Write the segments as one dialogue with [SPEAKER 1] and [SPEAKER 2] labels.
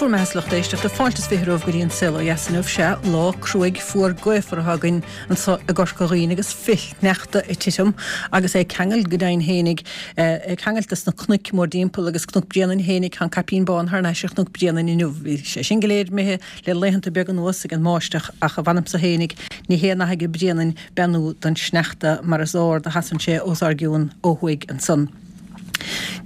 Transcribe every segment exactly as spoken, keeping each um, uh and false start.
[SPEAKER 1] bhur mbeatha, a lucht éisteachta, fáilte is fiche romhaibh go dtí an Saol Ó Dheas inniu. Sea, lá cruaidh fuar gaofar atá againn anso i gCorca Dhuibhne agus flichshneachta ag titim agus é ag ceangal go deimhin fhéinig, ag ceangailt dos na cnoic mórdtimpeall agus Cnoc Bréanainn fhéinig, tá an caipín bán thar n-ais ar Chnoc Bréanainn inniu. Bhí sé sin go léir imithe le laethanta beaga anuas ag an mbáisteach ach a mh'anamsa fhéinig, ní haon nath aige Bréanainn beannú don sneachta mar is ard a sheasann sé os ár gcionn ó thuaidh ansan.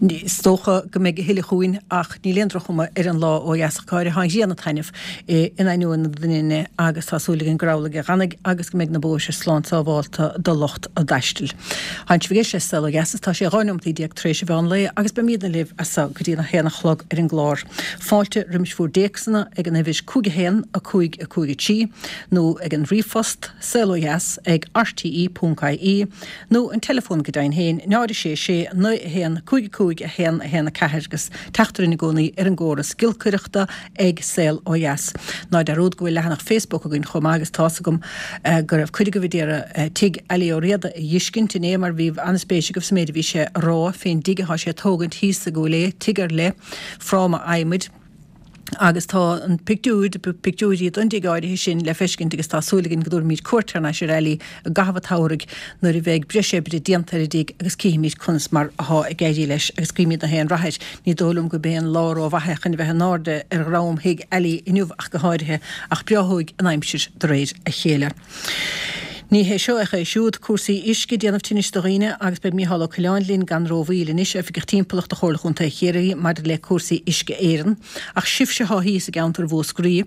[SPEAKER 1] Is dócha go mbeidh a thuilleadh chugainn ach níl aon droch-chuma ar an lá ó dheas ach go háirithe. Tá an ghrian ag taitneamh in ainneoin na doininne agus tá súil againn gur amhlaidh a dh'fhanfaidh agus go mbeidh na bóithre slán sábhálta do lucht a dtaistil. Tá sibh ag éisteacht le Saol Ó Dheas is tá sé dhá neomataí déag tar éis an mheán lae agus beimídne libh as so go dtí a haon a chlog ar an gclár. Fáilte roimis bhur dtéacsanna ag an uimhir cúig a haon, a cúig, a cúig a trí nó ag an ríomhphost saolodheas ag rte ponc ie nó an teileafón go deimhin féin, náid a sé sé, naoi a haon, cúig a cúig, a haon, a haon a ceathair agus teacht orainn i gcónaí ar an gcóras giolcaireachta ag Saol Ó Dheas. Ná dearúd go bhfuil leathanach Facebook againn chomh maith agus tá's agam go raibh cuid agaibh a d'iarraidh tigh Ali Ó Riada a dh'fheiscint inné mar bhí an-spéis agaibh sa méid a bhí sé a rá fén dtigh athá sé a tógaint thíos i gCúil Aodha, tigh ar leith, fráma adhmaid. Agus tá an pictiúir, pictiúirí don dtigh áirithe sin le feiscint agus tá súil againn go dtabharfaimid cuairt thar n-ais ar Ali i gcaitheamh an tsamhraidh nuair a bheidh breis oibre déanta ar an dtigh agus cífimid conas mar athá ag éirí leis agus guímid na haon rath air. Ní dóigh liom go b'é an lá ró-mhaith é chun a bheith in airde ar dhroim thigh Ali inniu ach go háirithe ach breáthóidh an aimsir de réir a chéile. Ní hé seo ach é siúd, cúrsaí uisce ag déanamh tinnis do dhaoine agus beidh Mícheál Ó Coileáin linn gan rómhoill anois, Oifigeach Timpeallachta Chomhairle Chontae Chiarraí maidir le cúrsaí Uisce Éireann. Ach sibhse athá thíos i gceantar Mhúscraí,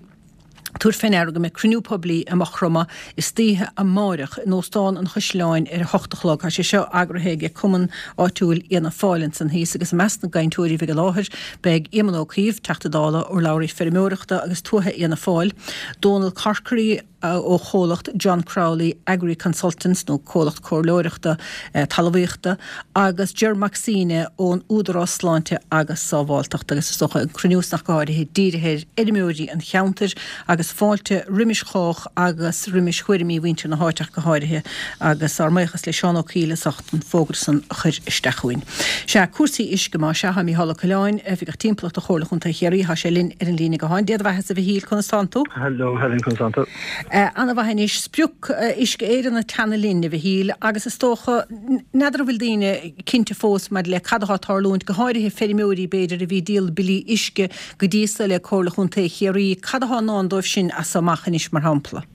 [SPEAKER 1] tabhair fé ndeara go mbeidh cruinniú poiblí i Maigh Chromtha istoíche amáireach in Óstán an Chaisleáin ar a hocht a chlog. Tá sé seo eagraithe ag cumann áitiúil Fhianna Fáil ansan thíos agus i measc na gcainteoirí a bheidh i láthair beidh Éamon Ó Cuív, Teachta Dála, urlabhraí feirmeoireachta agus tuaithe Fhianna Fáil, Dónal Corkery, ó chomhlacht John Crowley Agri Consultants, nó comhlacht comhairleoireachta talmhaíochta, agus Ger Mac Suibhne ón Údarás Sláinte agus Sábháilteachta, agus is dócha an cruinniú san ach go háirithe dírithe ar fheirmeoirí an cheantair agus fáilte roimis chách agus roimis thuairimí mhuintir na háite ach go háirithe agus ár mbuíochas le Seán Ó Cuív as ucht an fógra san a chur isteach chugainn. Sea, cúrsaí uisce, má sea, tá Mícheál Ó Coileáin, Oifigeach Timpeallachta Chomhairle Chontae Chiarraí, tá sé linn ar an líne gutháin. Dia do bheathasa a Mhichíl, conas tánn tú?
[SPEAKER 2] Hello Helen, conas tánn tú?
[SPEAKER 1] Ana-mhaith anois. Sprioc Uisce Éireann ag teannadh linn, a Mhichíl, agus is dócha, n'fheadar an bhfuil daoine cinnte fós maidir le cad atá ag tarlúint, go háirithe feirmeoirí b'fhéidir a bhí ag díol billí uisce go dtí so le Comhairle Chontae Chiarraí, cad atá i ndán dóibh sin as so amach anois, mar shampla?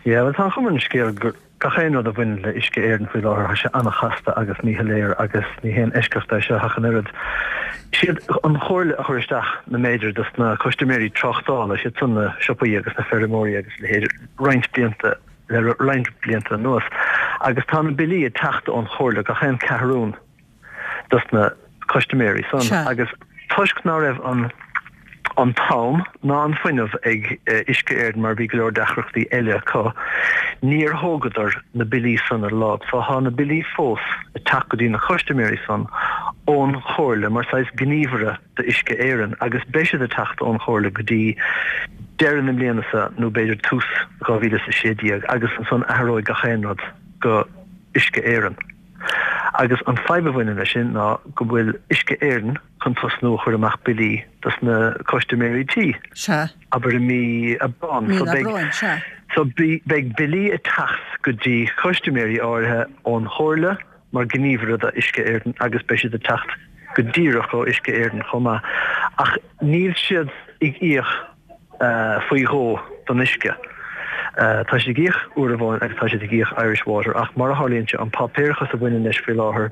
[SPEAKER 2] Yeah, bhuel tá an chuma ar an scéal gur gach aon rud a bhaineann le Uisce Éireann faoi láthair, tá sé an-chasta agus míshoiléir agus ní haon eisceacht é seo ach an oiread. Siad an Chomhairle a chuir isteach na méadair dos na custaiméirí tráchtála, siad san na siopaí agus na feirmeoirí agus a leithéid, roinnt blianta le roinnt blianta anuas agus tá na billí ag teacht ón Chomhairle gach aon ceathrún dos na custaiméirí san
[SPEAKER 1] Sea.
[SPEAKER 2] agus toisc ná raibh an an t-am ná an fuinneamh ag Uisce Éireann mar bhí go leor deacrachtaí eile acu, níor thógadar na billí san ar láimh. So tá na billí fós ag teacht go dtí na custaiméirí san ón Chomhairle mar saghas gníomhaire d'Uisce Éireann agus beidh siad ag teacht ón Chomhairle go dtí deireadh na mbliana seo nó b'fhéidir tús dhá mhíle is a sé déag agus ansan athróidh gach aon rud go Uisce Éireann. Agus an fadhb a bhaineann leis sin ná go bhfuil Uisce Éireann chun tosnú a chur amach billí dos na custaiméirí tí,
[SPEAKER 1] Sea.
[SPEAKER 2] abair i mí Aibreán.
[SPEAKER 1] Mí
[SPEAKER 2] So
[SPEAKER 1] an
[SPEAKER 2] beidh
[SPEAKER 1] Aibreáin, sea.
[SPEAKER 2] so beidh billí ag teacht go dtí custaiméirí áirithe ón Chomhairle mar gníomhaire do Uisce Éireann agus beidh siad ag teacht go díreach ó Uisce Éireann chomh maith. Ach níl siad ag íoc faoi dhó don uisce. Tá siad ag íoc uair amháin agus tá siad ag íoc Irish Water ach mar a tharlaíonn sé an páipéarachas a bhaineann leis faoi láthair,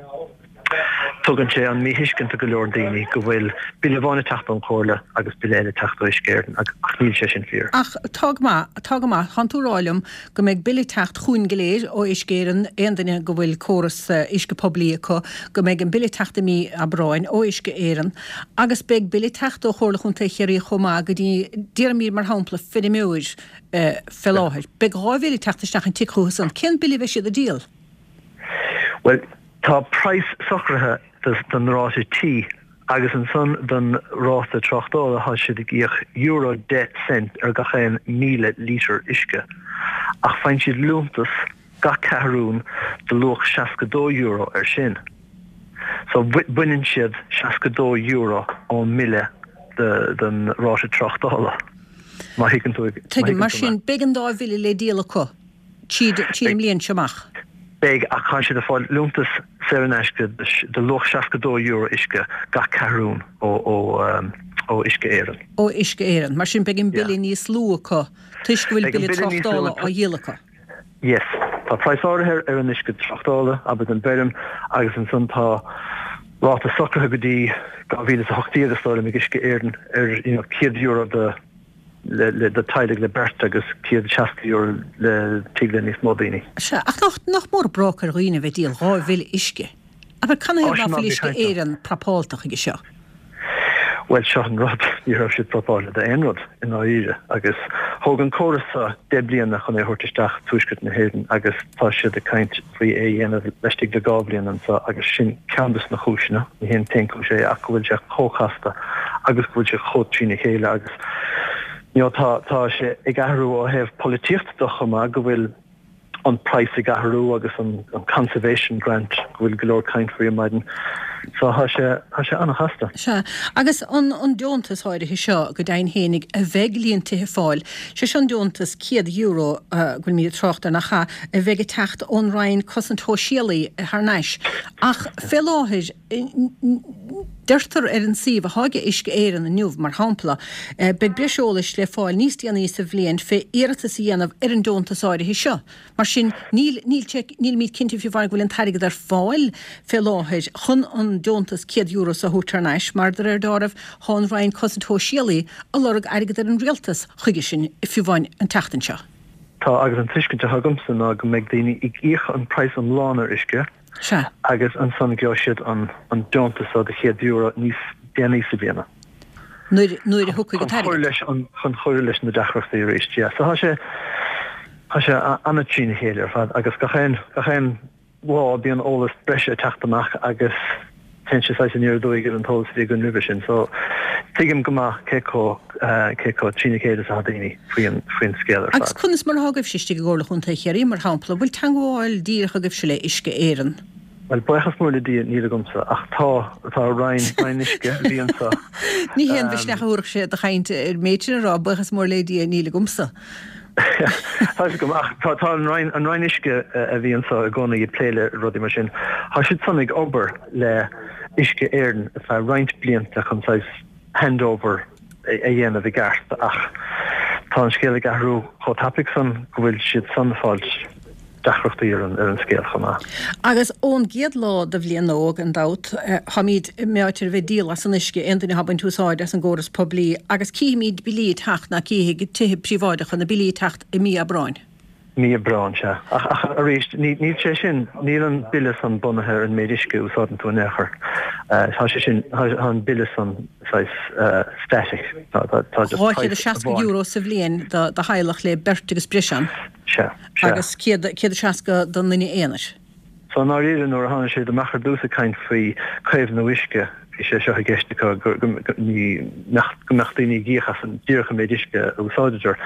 [SPEAKER 2] tugann sé an míthuiscint do go leor daoine go bhfuil bille amháin ag teacht ón Chomhairle agus bille eile ag teacht ó Uisce Éireann ach níl sé sin fíor.
[SPEAKER 1] Ach tá go maith, tá go maith. Tánn tú ag rá liom go mbeidh bille ag teacht chugainn go léir ó Uisce Éireann, aon duine go bhfuil córas uisce poiblí acu, go mbeidh an bille ag teacht i mí Aibreáin ó Uisce Éireann agus beidh bille ag teacht ó Chomhairle Chontae Chiarraí chomh maith go dtí, déarfaimid mar shampla, feirmeoir fé láthair. Beidh dhá bhille ag teacht isteach an tigh chucu san. Cén bille a bheidh siad ag díol?
[SPEAKER 2] Bhuel, tá praghas socraithe don ráta tí Agus ansan don ráta tráchtála tá siad ag íoc euro deich cent ar gach aon míle lítear uisce. Ach faigheann siad liúntas gach ceathrún de luach seasca dó euro ar sin. So baineann siad seasca dó euro ón mbille den ráta tráchtála. Má thuigeann tú.
[SPEAKER 1] Tuigim, mar sin beidh an dá bhille le díol acu tríd an mbliain seo amach.
[SPEAKER 2] Beidh, ach tá siad ag fáil liúntas saor in aisce de luach seasca dó euro uisce gach ceathrún ó ó Uisce Éireann.
[SPEAKER 1] Ó Uisce Éireann. Mar sin beidh an bille níos lú acu toisc go bhfuil bille tráchtála á dhíol acu.
[SPEAKER 2] Yes. Tá praghas áirithe ar an uisce tráchtála, abair don bhfeirm, agus ansan tá ráta socraithe go dtí dhá mhíle is a hocht déag is dóigh liom ag Uisce Éireann ar you know céad euro do le le do teaghlaigh le beirt agus céad seasca euro le tigh le níos mó daoine.
[SPEAKER 1] Sea, ach nach nach mór broc ar dhaoine a bheith ag díol dhá bhille uisce? Abair, canathaobh ná fuil Uisce Éireann prapálta chuige seo?
[SPEAKER 2] Bhuel, seo an rud, ní raibh siad prapáilte d'aon rud i ndáiríre agus thóg an córas seo deich bliana chun é a thabhairt isteach i dtuaisceart na hÉireann agus tá siad ag caint faoi é a dhéanamh laistigh de dhá bhliain anseo agus sin ceann de na cúiseanna, ní hé an t-aon chúis é ach go bhfuil sé chomh casta agus go bhfuil sé chomh trína chéile agus you know tá tá sé ag athrú ó thaobh polaitíochta de chomh maith go bhfuil an praghas ag athrú agus an an conservation grant go bhfuil go leor caint faoi ar maidin. So tá sé tá sé an-chasta.
[SPEAKER 1] Sea. Agus an an deontas áirithe seo go deimhin fhéinig a bheidh líon tithe ag fáil, sé seo an deontas céad euro go bhfuilimid ag trácht air nach ea, a bheidh ag teacht ón Roinn Cosaint Shóisialaí thar n-ais. Ach fé láthair, Deirtear ar an suíomh atá ag Uisce Éireann inniu, mar shampla, beidh breis eolais le fáil níos déanaí sa bhliain fé iarratas a dhéanamh ar an deontas áirithe seo. Mar sin, níl, níl sé, nílimid cinnte fiú amháin go bhfuil an t-airgead ar fáil fé láthair chun an deontas céad euro seo a thabhairt thar n-ais, mar de réir dealraimh, tá an Roinn Cosaint Shóisialaí ag lorg airgead ar an Rialtas chuige sin fiú amháin an tseachtain seo.
[SPEAKER 2] Tá, agus an tuiscint atá agamsa ná go mbeidh daoine ag íoc an praghas iomlán ar uisce,
[SPEAKER 1] Sea.
[SPEAKER 2] Agus ansan gheobhaidh siad an an deontas seo de chéad euro níos déanaí sa bhliana.
[SPEAKER 1] Nuair nuair a thiocfaidh an
[SPEAKER 2] Chun cur
[SPEAKER 1] t-airgead.
[SPEAKER 2] leis an chun cur leis na deacrachtaí arís, yeah. So tá sé tá sé an-trína chéile ar fad agus gach aon gach aon lá bíonn eolas breise ag teacht amach agus téann sé saghas aniar aduaidh ar an t-eolas a bhí againn roimhe sin. So tuigim go maith cé chomh cé chomh trína chéile is atá daoine faoin faoin scéal ar
[SPEAKER 1] Agus
[SPEAKER 2] fad.
[SPEAKER 1] conas mar atá agaibhse istigh i gComhairle Chontae Chiarraí, mar shampla, bhfuil teangmháil díreach agaibhse le Uisce Éireann?
[SPEAKER 2] Bhuel, buíochas mór le Dia, níl agamsa, ach tá, tá Roinn, Roinn Uisce a bhí anseo.
[SPEAKER 1] Ní haon mhisneach a thabharfadh sé do chaint ar an méid sin a rá, buíochas mór le Dia, níl agamsa.
[SPEAKER 2] Tá fhios agam, ach tá, tá an Roinn, an Roinn Uisce a bhí anseo i gcónaí ag plé le rudaí mar sin, tá siad san ag obair le Uisce Éireann ar feadh roinnt blianta chun saghas handover a dhéanamh i gceart ach tá an scéal ag athrú chomh tapaidh san go bhfuil siad san ag fáilt deacrachtaí ar an ar an scéal chomh maith.
[SPEAKER 1] Agus ón gcéad lá de bhliain nua, gan dabht, táimid meáite ar bheith ag díol as an uisce, aon duine atá ag baint úsáid as an gcóras poiblí, agus cífimid billí ag teacht, ná cífidh tithe príobháideacha na billí ag teacht i mí Aibreáin.
[SPEAKER 2] Mí Aibreáin, sea. Ach, ach arís, ní, níl sé sin, níl an bille san bunaithe ar an méid uisce a úsáideann tú in aon chor. Tá sé sin, tá an bille san saghas static. Tá, tá, tá just
[SPEAKER 1] Dhá chéad is
[SPEAKER 2] price
[SPEAKER 1] seasca
[SPEAKER 2] amháin.
[SPEAKER 1] euro sa bhliain do, do theaghlach le beirt agus breis ann.
[SPEAKER 2] Sea, sea.
[SPEAKER 1] Agus céad, céad is seasca don duine aonair.
[SPEAKER 2] So i ndáiríre, nuair a tháinig siad amach ar dtús ag caint faoi caomhnú uisce, bhí sé seo i gceist acu, go mbeadh daoine ag íoc as an díreach an méid uisce a úsáideadar.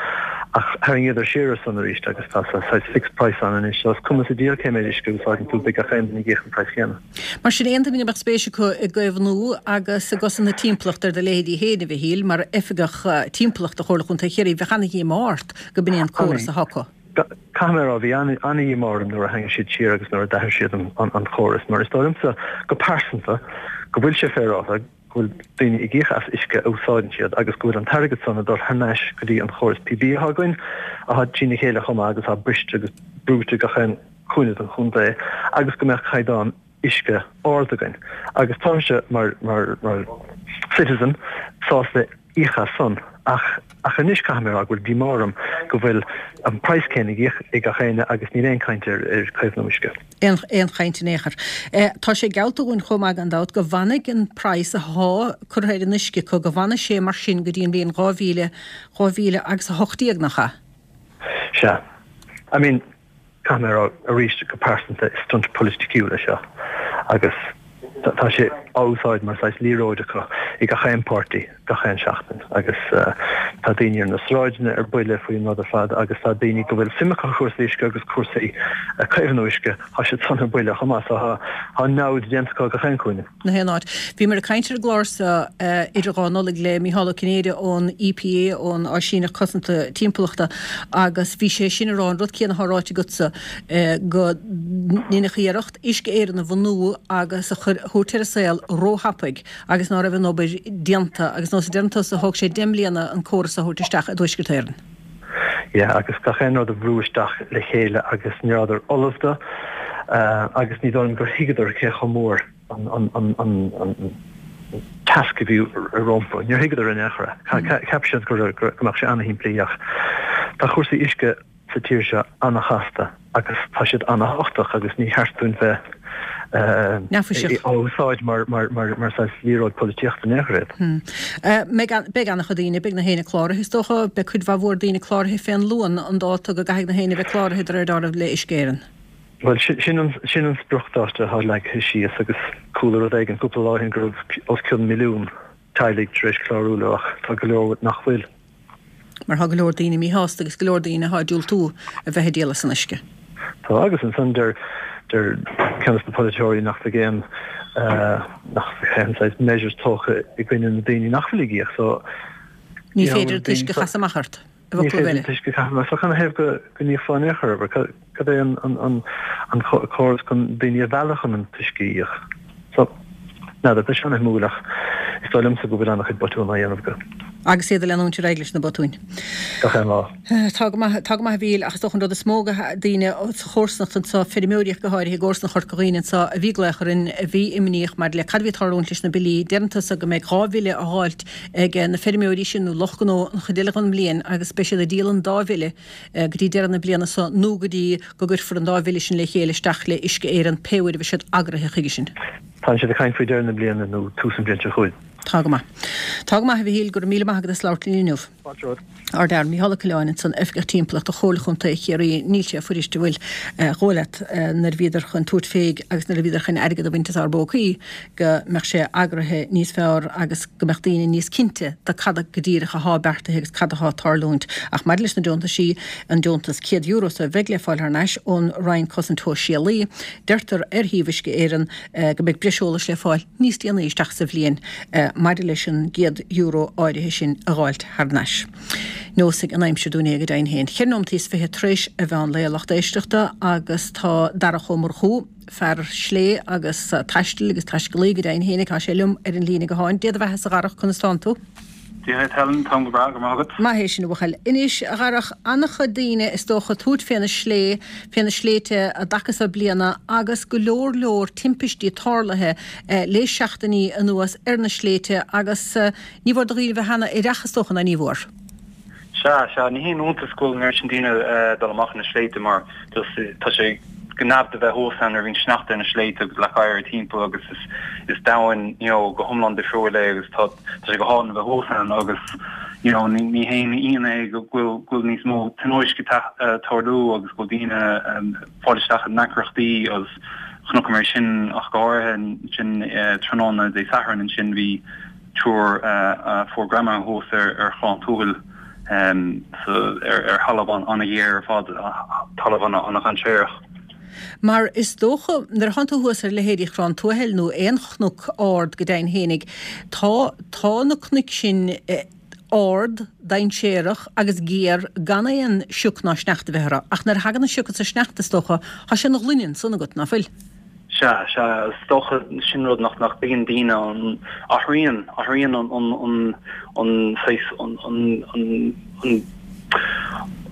[SPEAKER 2] Ach tharraingíodar siar ar san arís agus tá saghas fixed price ann anois. So is cuma sa diabhal cé méid uisce a úsáideann tú, beidh gach aon duine ag íoc an praghas céanna.
[SPEAKER 1] Mar sin, aon duine a mbeadh spéis acu i gcaomhnú agus i gcosaint na timpeallachta ar do leithéidí féin, a Mhichíl, mar Oifigeach Timpeallachta Chomhairle Chontae Chiarraí, bheadh ana-dhíomá ort go b'in é an córas atá acu.
[SPEAKER 2] Caithfidh mé a rá, bhí an-dhíomá orm nuair a tharraing siad siar agus nuair a d'athraigh siad an chóras, mar is dóigh liomsa go pearsanta go bhfuil sé féaráilte go bhfuil daoine ag íoc as uisce a úsáideann siad agus go bhfuil an t-airgead san ag dul thar n-ais go dtí an chóras poiblí atá againn, atá trína chéile chomh maith agus atá briste agus brúite gach aon chúinne den chontae agus go mbeadh caighdeán uisce ard againn agus táimse mar mar mar citizen sásta íoc as san ach ach anois caithfidh mé a rá go bhfuil díomá orm go bhfuil an praghas céanna ag íoc ag gach éinne agus níl aon chaint ar ar caomhnú uisce.
[SPEAKER 1] Aon aon chaint in aon chor. Tá sé geallta dhúinn chomh maith gan dabht go bhfanfaidh an praghas athá curtha ar an uisce acu go bhfanfaidh sé mar sin go dtí an bhliain dhá mhíle dhá mhíle agus a hocht déag nach ea?
[SPEAKER 2] Sea. I mean Caithfidh mé a rá arís go pearsanta is stunt polaiticiúil é seo agus tá sé á úsáid mar saghas liathróid acu i gach aon páirtí gach aon seachtain agus tá daoine ar na sráideanna ar buile faoin rud ar fad agus tá daoine go bhfuil suim acu i cúrsaí uisce agus cúrsaí caomhnú uisce, tá siad san ar buile chomh maith so tá namhaid déanta acu gach aon chúinne.
[SPEAKER 1] Gach aon áit. Bhíomar ag caint ar an gclár seo idir dhá Nollaig le Mícheál Ó Cinnéide ón EPA, ón Áisíneacht Cosanta Timpeallachta, agus bhí sé sin ag rá an rud céanna atá ráite agatsa, go ndeineadh iarracht Uisce Éireann a bhunú agus a chur, a thabhairt ar an saol róthapaidh agus ná raibh an obair déanta agus nós a deireann tusa thóg sé deich mbliana an córas a thabhairt isteach i dTuaisceart Éireann.
[SPEAKER 2] Yeah, agus gach aon rud a bhrú isteach le chéile agus ní rabhadar ullamh dó agus ní dóigh liom gur thuigeadar cé chomh mór an an an an an tasc a bhí rompu. Níor thuigeadar in aon chor é. Cheap siad go go mbeadh sé ana-shimplí ach tá cúrsaí uisce sa tír seo an-chasta agus tá siad an-thábhachtach agus ní cheart dúinn bheith á úsáid mar saghas liathróid polaitíochta in aon chor iad.
[SPEAKER 1] Beidh an-chuid daoine, beidh na héinne cláraithe is dócha, beidh cuid mhaith mhór daoine cláraithe fén Luan, an dáta go gcaithfidh na héinne bheith cláraithe de réir dealraimh le Uisce Éireann.
[SPEAKER 2] Bhuel, sin an spriocdháta atá leagtha síos agus chuala rud éigin cúpla lá ó shin go raibh os cionn milliún teaghlaigh tar éis clárú leo ach tá go leor nach bhfuil.
[SPEAKER 1] Mar tá go leor daoine míshásta agus go leor daoine atá ag diúltú a bheith ag díol as an uisce.
[SPEAKER 2] Tá, agus ansan deir deir ceann de na polaiteoirí nach bhfuil aon nach bhfuil aon saghas measures tógtha i gcoinne na daoine nach bhfuil ag íoc so
[SPEAKER 1] Ní féidir an t-uisce a chasadh amach ort, i
[SPEAKER 2] Ní
[SPEAKER 1] bhfoclaibh
[SPEAKER 2] féidir
[SPEAKER 1] eile.
[SPEAKER 2] an t-uisce a chaitheamh amach. So canathaobh go go n-íocfá in aon chor air? Cad é an an an an córas chun daoine a mhealladh chun an t-uisce a íoc? So, n'fheadar, tá sé an-shuimiúil ach is dóigh liomsa go bhfuil an-chuid botún á dhéanamh acu.
[SPEAKER 1] Agus iad ag leanúint ar aghaidh leis na botúin.
[SPEAKER 2] Gach aon lá.
[SPEAKER 1] Tá go maith, tá go maith a Mhíchíl, ach is dócha an rud is mó go daoine sa chomharsanacht anseo, feirmeoirí ach go háirithe i gcomharsanacht Chorca Dhuibhne anseo a bhí ag glaoch orainn, a bhí imníoch maidir le cad a bhí ag tarlúint leis na billí. Deireann tusa go mbeidh dhá bhille á dháilt ag na feirmeoirí sin nó lucht gnó an chuid eile den mbliain agus beidh siad ag díol an dá bhille go dtí deireadh na bliana seo nó go dtí go gcuirfear an dá bhille sin le chéile isteach le Uisce Éireann pé uair a bheidh siad eagraithe chuige sin.
[SPEAKER 2] Tá siad ag caint faoi deireadh na bliana nó tús an bhliain seo chugainn.
[SPEAKER 1] Tá go maith. Tá go maith, a Mhichíl, go raibh míle maith agat as labhairt linn inniu.
[SPEAKER 2] Fáilte romhat.
[SPEAKER 1] Ár bhfear, Mícheál Ó Coileáin ansan, Oifigeach Timpeallachta Chomhairle Chontae Chiarraí. Níl sé fuirist an bhfuil a dhóigh leat nuair a bhíodar chun tabhairt féig agus nuair a bhíodar chun airgead a bhaint as ár bpócaí go mbeadh sé eagraithe níos fearr agus go mbeadh daoine níos cinnte de cad go díreach athá beartaithe agus cad athá ag tarlúint. Ach maidir leis na deontaisí, an deontas céad euro so a bheidh le fáil thar n-ais ón Roinn Cosaint Shóisialaí, deirtear ar shuíomh Uisce Éireann go mbeidh breis eolais le fáil níos déanaí isteach sa bhliain maidir leis an gcéad euro áirithe sin a dh'fháilt thar n-ais. Neosfaidh an aimsir dúinn é go deimhin féin. Ceithre nóimeataí is fiche tar éis a mheán lae a lucht éisteachta agus tá Darach Ó Murchú, fear slé agus taistil agus taiscéalaí go deimhin féin, tá sé liom ar an líne gutháin. Dé do bheatha-sa a Dharach, conas tánn tú?
[SPEAKER 3] Dia dhuit Helen, táim go breá, go raibh maith agat.
[SPEAKER 1] Maith é sin a bhuachaill. Anois, a Dharach, an-chuid daoine is dócha ag tabhairt fé na slé, fé na sléibhte an dtaca so bliana agus go leor leor timpistí tarlaithe le seachtainí anuas ar na sléibhte agus ní mhór do dhaoine bheith ana-aireach is dócha, ná ní mhór?
[SPEAKER 3] Sea, sea, ní haon iontas go bhfuil an oiread sin daoine ag dul amach ar na sléibhte mar tá sé go neamh a bheith thuas ann nuair a bhíonn sneachta ar na sléibhte agus leac oighir timpeall agus is is domhan you know go hiomlán difriúil é agus tá tá sé go hálainn a bheith thuas ann agus you know ní ní haon ionadh é go bhfuil go bhfuil níos mó tionóisc ag tarlú agus go bhfuil daoine ag fáil isteach i ndeacrachtaí agus chonaiceamar é sin ach go háirithe ansin tráthnóna Dé Sathairn ansin bhí triúr a fuair greamaithe thuas ar Chorrán Tuathail ar thalamh an-ghéar ar fad, talamh an-dhainséarach.
[SPEAKER 1] Mar is dócha, nuair a thánn tú thuas ar leithéidí Chorrán Tuathail nó aon chnoc ard go deimhin fhéinig, tá, tá na cnoic sin ard, dainséarach agus géar gan aon sioc ná sneachta a bheith orthu. Ach nuair a thagann an sioc is an sneachta, is dócha, tá sé ina ghloine ansan agat, ná fuil?
[SPEAKER 3] Sea, sea, is dócha sin rud nach nach dtuigeann daoine, an athraíonn, athraíonn an an an an saghas an an an an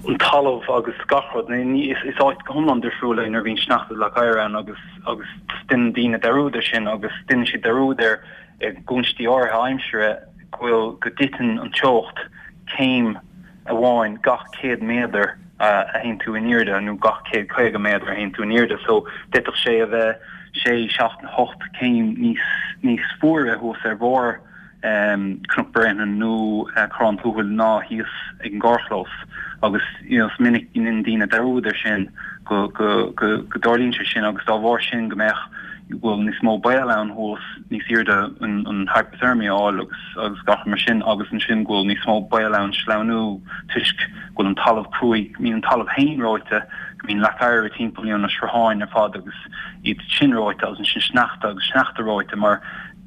[SPEAKER 3] an talamh agus gach rud. Ní, is is áit go hiomlán difriúil é nuair a bhíonn sneachta is leac oighir ann agus agus déanann daoine dearúd ar sin agus déanann siad dearúd ar i gcúinsí áirithe aimsire go bhfuil go dtiteann an teocht céim amháin gach céad méadar a théann tú in airde nó gach céad caoga méadar a théann tú in airde so d'fhéadfadh sé a bheith sé, seacht, hocht céim níos níos fuaire thuas ar bharr Cnoc Bréanainn nó Corrán Tuathail ná thíos ag an gcarrchlós agus you know is minic go ndéanann daoine dearúd ar sin go go go go dtarlaíonn sé sin agus dá bharr sin go mbeadh go bhfuil níos mó baol ann thuas níos airde an an hypothermia a fháil agus agus gach mar sin agus ansin go bhfuil níos mó baol ann sleamhnú toisc go bhfuil an talamh cruaidh, mbíonn an talamh féin reoite, go mbíonn leac oighir timpeall you know na srutháin ar fad agus iad sin reoite agus ansin sneachta agus sneachta reoite mar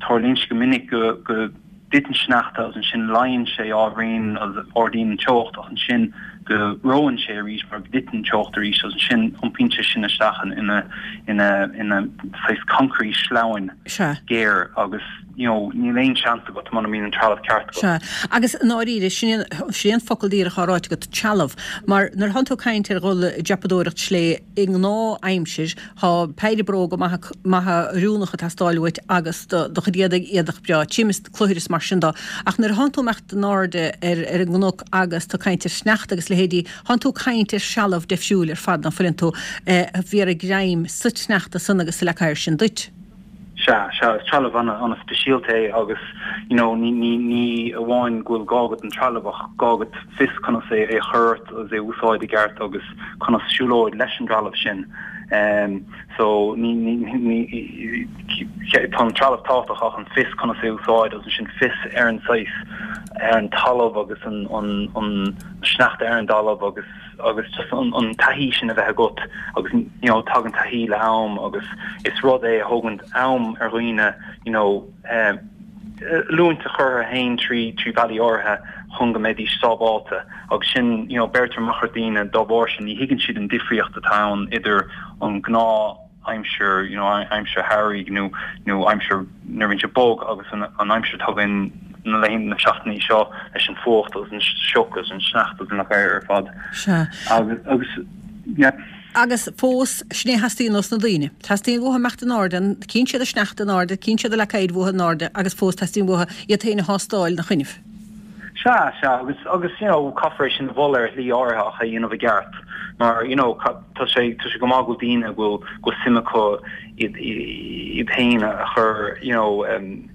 [SPEAKER 3] tarlaíonn sé go minic go go dtiteann sneachta agus ansin leáonn sé ábhairín agus ardaíonn an teocht ach ansin go reonn sé arís mar go dtiteann an teocht arís agus ansin iompaíonn sé sin isteach ina ina ina saghas concrete sleamhain géar agus you know níl aon seans agat muna mbíonn an trealamh ceart agat.
[SPEAKER 1] Sea. Agus i ndáiríre, sin sin an focal díreach á ráite agat, trealamh. Mar nuair atánn tú ag caint ar dhul ag dreapadóireacht slé i ngnáth-aimsir, Tá péire bróga maithe maithe oiriúnacha ag teastáil uait agus do do chuid éadaigh, éadach breá tirim is cluthair is mar sin dó. Ach nuair a thánn tú ag imeacht in airde ar ar an gcnoc agus tú ag caint ar shneachta agus leithéidí, thánn tú ag caint ar threalamh deifriúil ar fad, ná fuileann tú, a bhéarfaidh greim sa tsneachta san agus sa leac oighir sin duit.
[SPEAKER 3] Sea, sea, is trealamh an-speisialta é agus you know ní, ní, ní amháin go bhfuil gá agat an trealamh ach gá agat fios conas é a chur ort agus é a úsáid i gceart agus conas siúlóid leis an dtrealamh sin. Um, so ní, ní, ní, tá an trealamh tábhachtach ach an fios conas é a úsáid agus ansin fios ar an saghas ar an talamh agus an, an, an sneachta ar an dtalamh agus agus just an an taithí sin a bheith agat agus you know tagann taithí le am agus is rud é a thógann am ar dhaoine you know um, oiliúint a chur orthu féin trí trí bhealaí áirithe chun go mbeidís sábháilte agus sin you know beirtear amach ar daoine dá bharr sin ní thuigeann siad an difríocht atá ann idir an gnáth aimsir you know aimsir shamhraidh nó nó aimsir nuair a bhíonn sé bog agus an an aimsir atá againn na laethanta na seachtainí seo leis an fuacht agus an sioc agus an sneachta agus an leac oighir ar fad.
[SPEAKER 1] Sea.
[SPEAKER 3] Agus agus yeah.
[SPEAKER 1] Agus fós, sin é a theastaíonn ós na daoine. Teastaíonn uathu imeacht in airde, cíonn siad an sneachta in airde, cíonn siad an leac oighir uathu in airde agus fós teastaíonn uathu iad féin a thástáil ina choinnibh.
[SPEAKER 3] Sea, sea, agus, agus, you know, caithfear é sin a mholadh ar shlí áirithe ach é a dhéanamh i gceart. Mar, you know, tá sé, tá sé go maith go bhfuil daoine go bhfuil, go bhfuil suim acu iad, iad féin a chur, you know, um,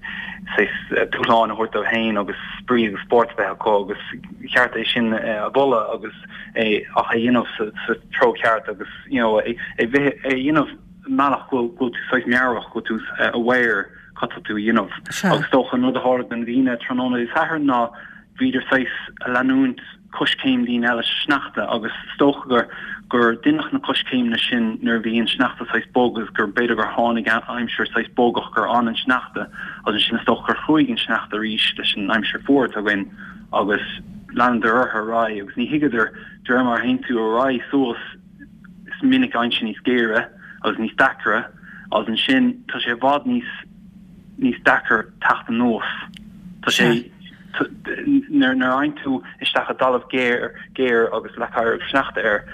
[SPEAKER 3] saghas dúshlán a thabhairt dóibh féin agus spraoi agus spórt a bheith acu agus cheart é sin a mholadh agus é, ach é a dhéanamh sa, sa treo ceart agus, you know, é, é bheith, é a dhéanamh i mbealach go bhfuil, go bhfuil tú saghas meabhrach, go bhfuil tú aware cad tá tú a dhéanamh. Agus is dócha an rud a tharla do na daoine tráthnóna Dé Sathairn ná bhíodar saghas a leanúint coiscéim daoine eile sa sneachta agus is dócha gur gur deineadh na coiscéimeanna sin nuair a bhí an sneachta saghas bog agus gur b'fhéidir gur tháinig aimsir saghas bogach gur fhan an sneachta agus ansin is dócha gur chruaigh an sneachta arís leis an aimsir fuar atá againn agus leanadar orthu ar aghaidh agus ní thuigeadar de réir mar a théann tú ar aghaidh suas is minic a éiríonn sé níos géire agus níos deacra agus ansin tá sé i bhfad níos níos deacair teacht anuas. Tá sé nuair nuair a fhaigheann tú isteach i dtalamh géar géar agus leac oighir agus sneachta air,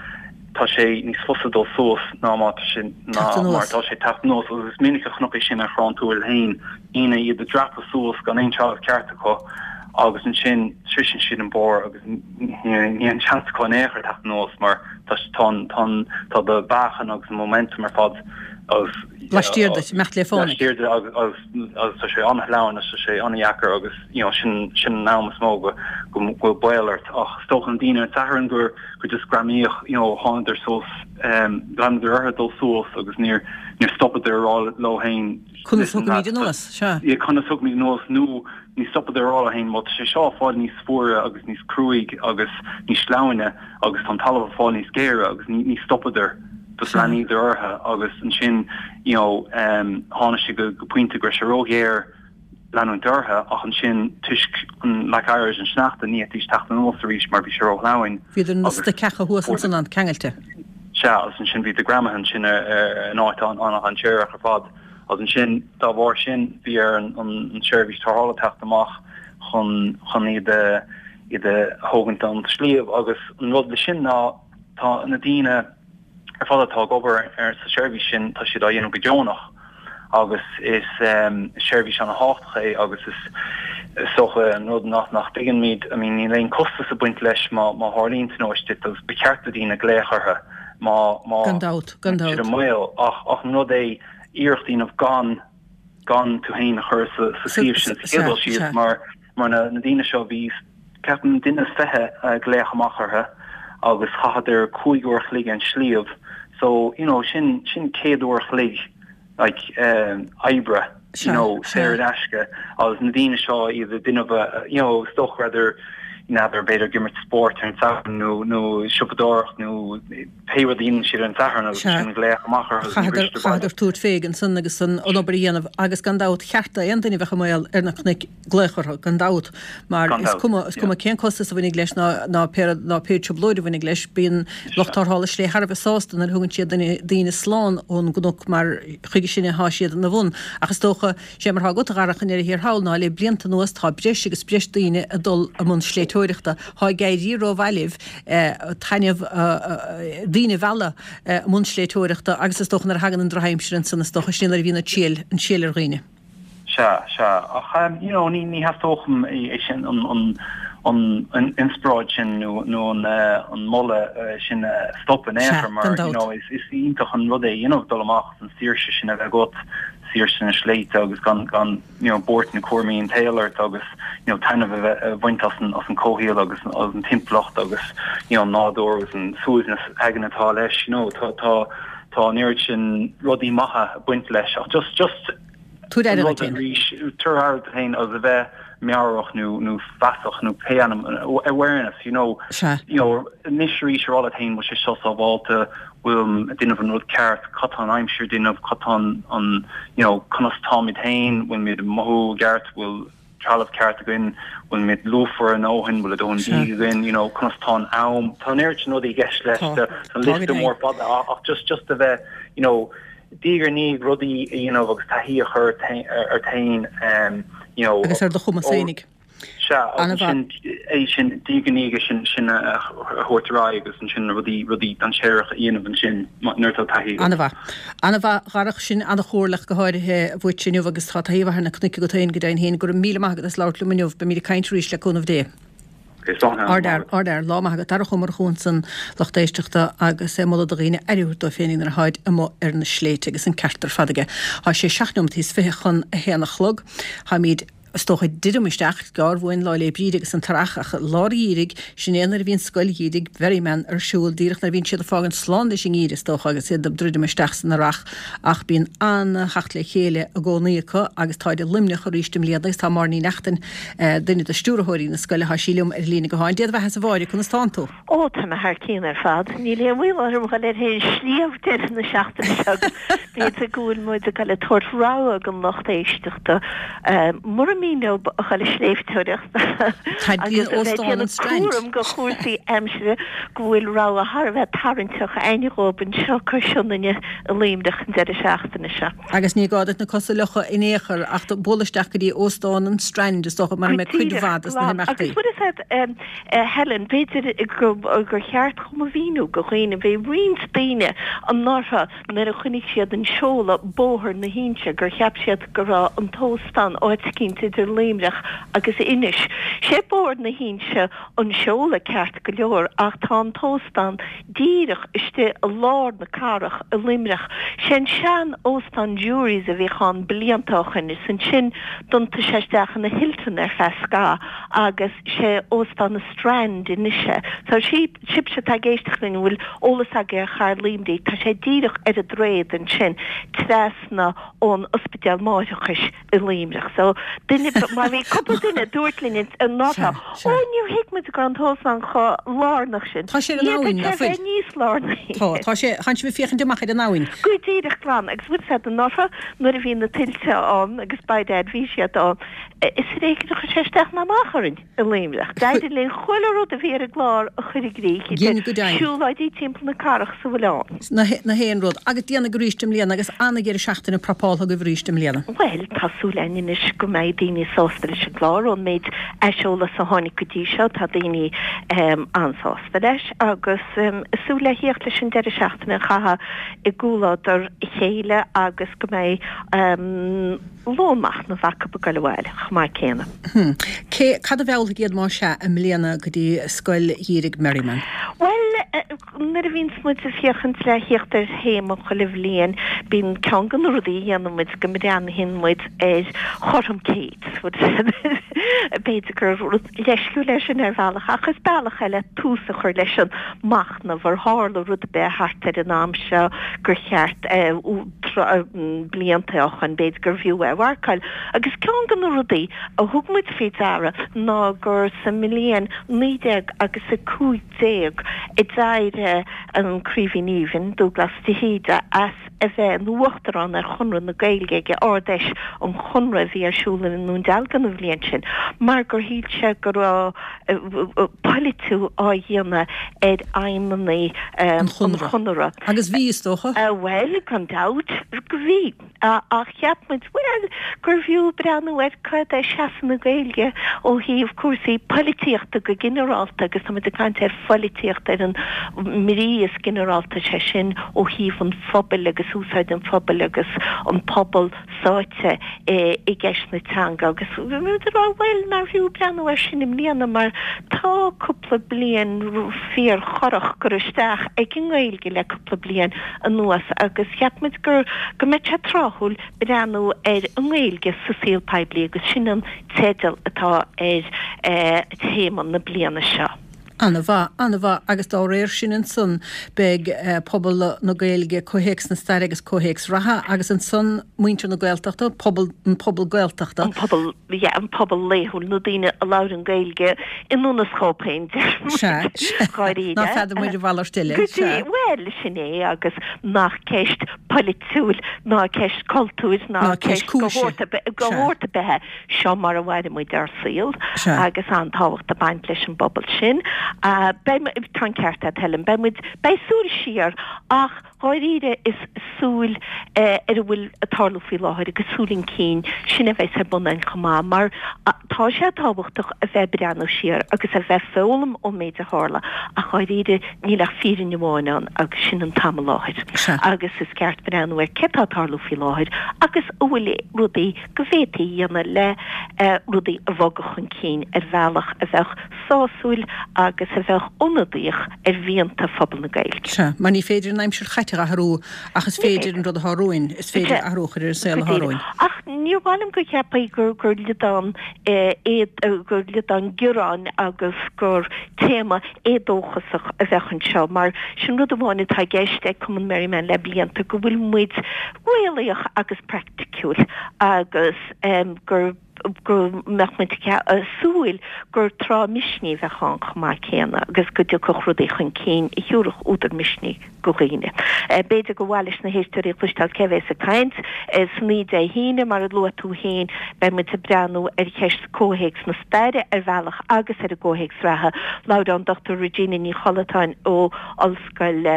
[SPEAKER 3] tá sé níos fusa dul suas ná má tá sé ná mar atá sé teacht anuas agus is minic a chonac é sin ar Chorrán Tuathail féin, daoine iad ag dreapadh suas gan aon trealamh ceart acu agus ansin sroiseann siad an barr agus níl aon seans acu in aon chor teacht anuas mar tá tá an tá an tá do mheáchan agus an momentum ar fad agus
[SPEAKER 1] Laistiar duit, imeacht le fánaidh.
[SPEAKER 3] Laistiar duit agus agus agus tá sé an-shleamhain agus tá sé an-dheacair agus you know sin sin an am is mó go go bhfuil baol ort ach is dócha na daoine ar an Satharn gur gur just greamaíodh you know thánadar suas um leanadar orthu dul suas agus níor níor stopadar a rá leo féin
[SPEAKER 1] Conas thiocfaimid anuas,
[SPEAKER 3] sea. Yeah conas thiocfaimid anuas nó ní stopadar a rá leo féin bhuel tá sé seo ag fáil níos fuaire agus níos cruaidh agus níos sleamhaine agus tá an talamh ag fáil níos géire agus ní ní stopadar just leanadar orthu agus ansin you know um tháinig sé go go pointe go raibh sé róghéar leanúint orthu ach ansin toisc an leac oighir agus an sneachta ní fhéadfaidís teacht anuas arís mar bhí sé róshleamhain
[SPEAKER 1] Bhíodar ina stoiceacha thuas ansan ann ceangailte.
[SPEAKER 3] Sea agus ansin bhíodar greamaithe ansin ar ar in áit an-dainséarach ar fad agus ansin dá bharr sin bhí ar an an seirbhís tarrthála teacht amach chun chun iad a iad a thógaint ón sliabh agus an rud leis sin ná tá na daoine ar fad atá ag obair ar sa seirbhís sin, tá siad á dhéanamh go deonach agus is seirbhís an-thábhachtach é agus is is dócha an rud nach nach dtuigeann I mean níl aon costas ag baint leis má má tharlaíonn tionóisc duit agus ba cheart do daoine glaoch orthu má má
[SPEAKER 1] Gan dabht, gan
[SPEAKER 3] siad
[SPEAKER 1] dabht.
[SPEAKER 3] i mbaol ach ach an rud é iarracht a dhéanamh gan gan tú féin a chur sa sa suíomh sin sa chéad dul síos mar mar na na daoine seo bhí ceapaim duine is fiche a glaodh amach orthu agus chaitheadar cúig uair a chloig ar an sliabh so you know sin sin céad uair a chloig like um, oibre you know saor in aisce agus na daoine seo iad ag déanamh you know is dócha rather n'fheadar b'fhéidir ag imirt spóirt ar an Satharn nó nó siopadóireacht nó pé rud a dhéanann siad ar an Satharn agus sin glaoch amach orthu agus ní bhristear baile.
[SPEAKER 1] Chaitheadar tabhairt fé ansan agus an obair a dhéanamh agus gan dabht cheart d'aon duine a bheadh i mbaol ar na cnoic glaoch orthu gan dabht mar is cuma is cuma cén costas a bhainfidh leis ná ná pé ná pé trioblóid a bhainfidh leis bíonn lucht tarrthála slé thar a bheith sásta nuair a thugann siad duine daoine slán ón gcnoc mar chuige sin atá siad ina bhun ach is dócha sé mar atá agat a Dharach i ndeireadh thiar thall ná le blianta anuas tá breis agus breis daoine ag dul i mbun sléibhteoireachta. Tá ag éirí rómhaith libh taitneamh daoine a mhealladh i mbun sléibhteoireachta agus is dócha nuair a thagann an drochaimsir ansan is dócha sin nuair a bhíonn an triail an triail ar dhaoine.
[SPEAKER 3] Sea, sea. Ach you know ní ní theastódh é sin an an an an inspioráid sin nó nó an an moladh sin a stop in aon chor mar you know is is iontach an rud é you know dul amach an saoirse sin a bheith agat saoirse na sléibhte agus gan gan you know buairt na cúraimí an tsaoil ort agus you know taitneamh a bheith a bhaint as an as an comhshaol agus as an timpeallacht agus you know an nádúr agus an suaimhneas aigne atá leis you know tá tá tá an oiread sin rudaí maithe ag baint leis ach just just
[SPEAKER 1] Tabhair aire
[SPEAKER 3] an rud
[SPEAKER 1] duit féin.
[SPEAKER 3] arís tabhair aire duit féin agus a bheith meabhrach nó nó feasach nó pé ainm awareness you know
[SPEAKER 1] Sea.
[SPEAKER 3] you know anois arís ar leat féin bhfuil sé seo sábháilte bhfuil ag déanamh an rud ceart, cad tá an aimsir ag déanamh, cad tá an, you know, conas táimid féin, bhfuil muid ag mothú i gceart, bhfuil trealamh ceart againn, bhfuil muid lúfar a ndóthain, bhfuil a dóthain bídh againn, you know, conas tá an am, tá an oiread sin rudaí i gceist leis, tá an liosta mór fada ach just, just a bheith, you know, diaidh ar ndiaidh rudaí a dhéanamh agus taithí a chur ort féin, you know.
[SPEAKER 1] Agus ar do chumas féinig.
[SPEAKER 3] Sea, agus ansin é sin, diaidh ar ndiaidh é sin, sin a thabhairt ar aghaidh agus ansin na rudaí, rudaí dainséaracha a dhéanamh ansin nuair atá taithí agat.
[SPEAKER 1] An-mhaith. An-mhaith, a Dharach, sin an-chomhairle go háirithe uait inniu agus tá taithí mhaith ar na cnoic agat féin go deimhin féin. Go raibh míle maith agat as labhairt liom inniu. Beimid ag caint arís le cúnamh Dé. Ardfhear, ardfhear, lá maith agat. Darach Ó Murchú ansan, lucht éisteachta agus é ag moladh do dhaoine aire a thabhairt dóibh féinig nuair atháid amuigh ar na sléibhte agus an ceart ar fad aige. Tá sé seacht neomat is fiche chun a haon a chlog. Táimid is dócha ag druidim isteach, gearr uainn Lá 'le Bríde agus an tEarrach, ach lár an gheimhridh, sin é nuair a bhíonn Scoil Gheimhridh Mherriman ar siúl, díreach nuair a bhíonn siad ag fágaint slán leis an ngeimhreadh, is dócha, agus iad ag druidim isteach san earrach, ach bíonn an-theacht le chéile i gcónaí acu agus táid i Luimneach arís i mbliana agus tá Máire Ní Neachtain, duine de stiúrthóirí na scoile, tá sí liom ar an líne gutháin. Dé do bheatha-sa a Mháire, conas tánn tú?
[SPEAKER 4] Ó, tá mé thar cionn ar fad. Níl aon mhoill orm dhul ar aon sliabh deireadh na seachtaine seo agus b'fhéidir go bhfuil muid ag dul ag tabhairt rogha don lucht éisteachta mura mian leo a dhul ag sléibhteoireacht agus a bheith ag déanamh cúram go chúrsaí aimsire go bhfuil rogha thar a bheith tarraingteach a'inn dhóibh anseo cois Sionainne i Luimneach an deireadh seachtaine seo.
[SPEAKER 1] Agus ní gá duit na cosa a fhliuchadh in aon chor ach bualadh isteach go dtí Óstán an Strand is dócha mar a mbeidh cuid mhaith dos na himeachtaí.
[SPEAKER 4] Agus bhfuil fhios a'd a Helen, b'fhéidir gur cheart dhom a mhíniú go dhaoine, bhí roinnt daoine anuraidh nuair a chonaic siad an seoladh Bóthar na hInse gur cheap siad go raibh an t-óstán áit eicínt idir Luimneach agus Inis. Sé Bóthar na hInse an seoladh ceart go leor ach tá an t-óstán díreach istigh i lár na cathrach i Luimneach. Sé an sean óstán Jury's a bhíodh ann blianta ó shoin is ansin d'iontaigh sé isteach ina Hilton ar feadh scaitheamh agus sé Óstán an Strand anois é. So sibhse atá ag éisteacht linn a bhfuil eolas agaibh ar chathair Luimnigh, tá sé díreach ar an droichead ansin trasna ón Ospidéal Máithreachais i Luimneach. So duine, mar bhí cúpla duine a dúirt linn anuraidh, ó níor thuig muid go raibh an t-óstán chomh lárnach sin.
[SPEAKER 1] Tá sé ar an abhainn, nach
[SPEAKER 4] D'fhéadfadh sé
[SPEAKER 1] bhfuil?
[SPEAKER 4] bheith níos lárnaí.
[SPEAKER 1] Tá, tá sé, tánn sibh ag féachaint amach ar an abhainn.
[SPEAKER 4] Go díreach glan, agus bhfuil fhios a'd anuraidh nuair a bhí na tuilte ann agus by dad bhí siad ann, is ar éigean a chuir sé isteach ná amach orainn i Luimneach. D'éirigh linn chuile rud a bhí ar an gclár a chur i gcrích,
[SPEAKER 1] Gin
[SPEAKER 4] idir
[SPEAKER 1] go deimhin.
[SPEAKER 4] siúlóidí timpeall na cathrach is a bhfuil ann.
[SPEAKER 1] Na na haon rud. Agus déanaigí arís i mbliana agus an-dheireadh seachtaine prapáltha agaibh arís i mbliana.
[SPEAKER 4] Bhuel, tá súil againn anois go mbeidh daoine sásta leis an gclár. Ón méid aiseolas a tháinig go dtí seo, tá daoine an-sásta leis agus ag súil le thíocht leis an deireadh seachtaine a chaitheamh i gcomhluadar a chéile agus go mbeidh lón machnaimh acu ag goil abhaile chomh maith céanna.
[SPEAKER 1] Cé, cad a mheallfaidh iad más ea i mbliana go dtí Scoil Gheimhridh Merriman?
[SPEAKER 4] Bhuel, Nuair a bhíonns muid ag féachaint le thíocht ar théama chuile bhliain, bíonn ceann de na rudaí a dhéanann muid go mbreathnaíonn muid ar chothrom céid. B'fhéidir gur rud leisciúil é sin ar bhealach, ach is bealach é le tús a chur leis an machnamh ar tharla rud ar bith thart ar an am seo gur cheart blianta ó shoin, b'fhéidir gurbh fhiú é a mharcáil. Agus ceann de na rudaí a thug muid faoi deara ná gur sa mbliain naoi déag agus a cúig déag a d'éirigh an Craoibhín Aoibhinn, Dúglas de hÍde, as a bheith ina Uachtarán ar Chonradh na Gaeilge ag Ard-Fheis an Chonartha a bhí ar siúl i nDún Dealgan an bhliain sin mar gur shíl sé go raibh polaitiú á dhéanamh ar fheidhmeanna
[SPEAKER 1] An
[SPEAKER 4] an
[SPEAKER 1] Chonartha.
[SPEAKER 4] Chonartha.
[SPEAKER 1] Agus bhí, is dócha.
[SPEAKER 4] Bhuel, gan dabht go bhí. Ach cheap muid, bhuel, gurbh fhiú breathnú ar cad é seasamh na Gaeilge ó thaobh cúrsaí polaitíochta go ginearálta agus tá muid ag caint ar pholaitíocht ar an mbrí is ginearálta, sé sin ó thaobh an phobail agus úsáid an phobail agus an pobal sáite i gceist na teanga agus bhí muid ag rá, bhuel, nárbh fhiú breathnú air sin i mbliana mar tá cúpla bliain fíorchorrach curtha isteach ag an nGaeilge le cúpla bliain anuas agus cheap muid gur go mbeadh sé tráthúil breathnú ar an nGaeilge sa saol poiblí agus sin an teideal atá ar théama na bliana seo.
[SPEAKER 1] Ana-mhaith, ana-mhaith agus dá réir sin ansan beidh pobal na Gaeilge, comhthéacs na staire agus comhthéacs reatha agus ansan muintir na Gaeltachta, pobal, an pobal Gaeltachta.
[SPEAKER 4] An pobal, yeah, an pobal laethúil, na daoine a labhrann Gaeilge i ndún a scóip féin, deir muid.
[SPEAKER 1] Sea, sea.
[SPEAKER 4] Dháiríre.
[SPEAKER 1] Ná feadar muid a mhalairt eile,
[SPEAKER 4] Go dtí,
[SPEAKER 1] sea.
[SPEAKER 4] bhuel, sin é agus nach ceist polaitiúil ná ceist cultúir ná
[SPEAKER 1] Ná ceist
[SPEAKER 4] ceist go
[SPEAKER 1] cúise.
[SPEAKER 4] shórt ar bith, go
[SPEAKER 1] Sea.
[SPEAKER 4] shórt ar bith é. Seo mar a mhaireann muid ár saol
[SPEAKER 1] Sea.
[SPEAKER 4] agus an-tábhacht ag baint leis an bpobal sin. Beidh, tá an ceart agat Helen, beidh muid, beidh súil siar ach dháiríre is súil ar a bhfuil ag tarlú faoi láthair agus súil chun cinn, sin a bheas ar bun againn chomh maith mar tá sé tábhachtach a bheith ag breathnú siar agus a bheith ag foghlaim ón méid a tharla ach dháiríre níl ach fírinne amháin ann agus sin an t-am i láthair agus is ceart breathnú ar cé tá ag tarlú faoi láthair agus an bhfuil rudaí go bhféadfaí a dhéanamh le rudaí a bhogadh chun cinn ar bhealach a bheadh sásúil agus a bheadh ionadaíoch ar mhianta phobal na Gaeilge.
[SPEAKER 1] Sea, mar ní féidir an aimsir chaite a athrú ach is féidir an rud atá romhainn, is féidir athrú a chur ar an saol atá romhainn.
[SPEAKER 4] Ach níor mhaith liom go gceapfaí gur gur liodán gur liodán gearáin agus gur téama éadóchasach a bheadh anseo mar sin rud amháin atá i gceist ag Cumann Merriman le blianta go bhfuil muid réalaíoch agus praiticiúil agus gur go mbeadh muid ag súil gur tráth misnigh a bheadh ann chomh maith céanna agus go dtiocfadh rudaí chun cinn a thiúrfadh údar misnigh go dhaoine. B'fhéidir gur mhaith leis na héisteoirí a chloisteáil cé bhéas ag caint san oíche Dé hAoine, mar a luaigh tú féin, beidh muid ag breathnú ar cheist comhthéacs na staire ar bhealach agus ar an gcomhthéacs reatha. Labhróidh an Dochtúir Regina Ní Chollatáin ó Ollscoil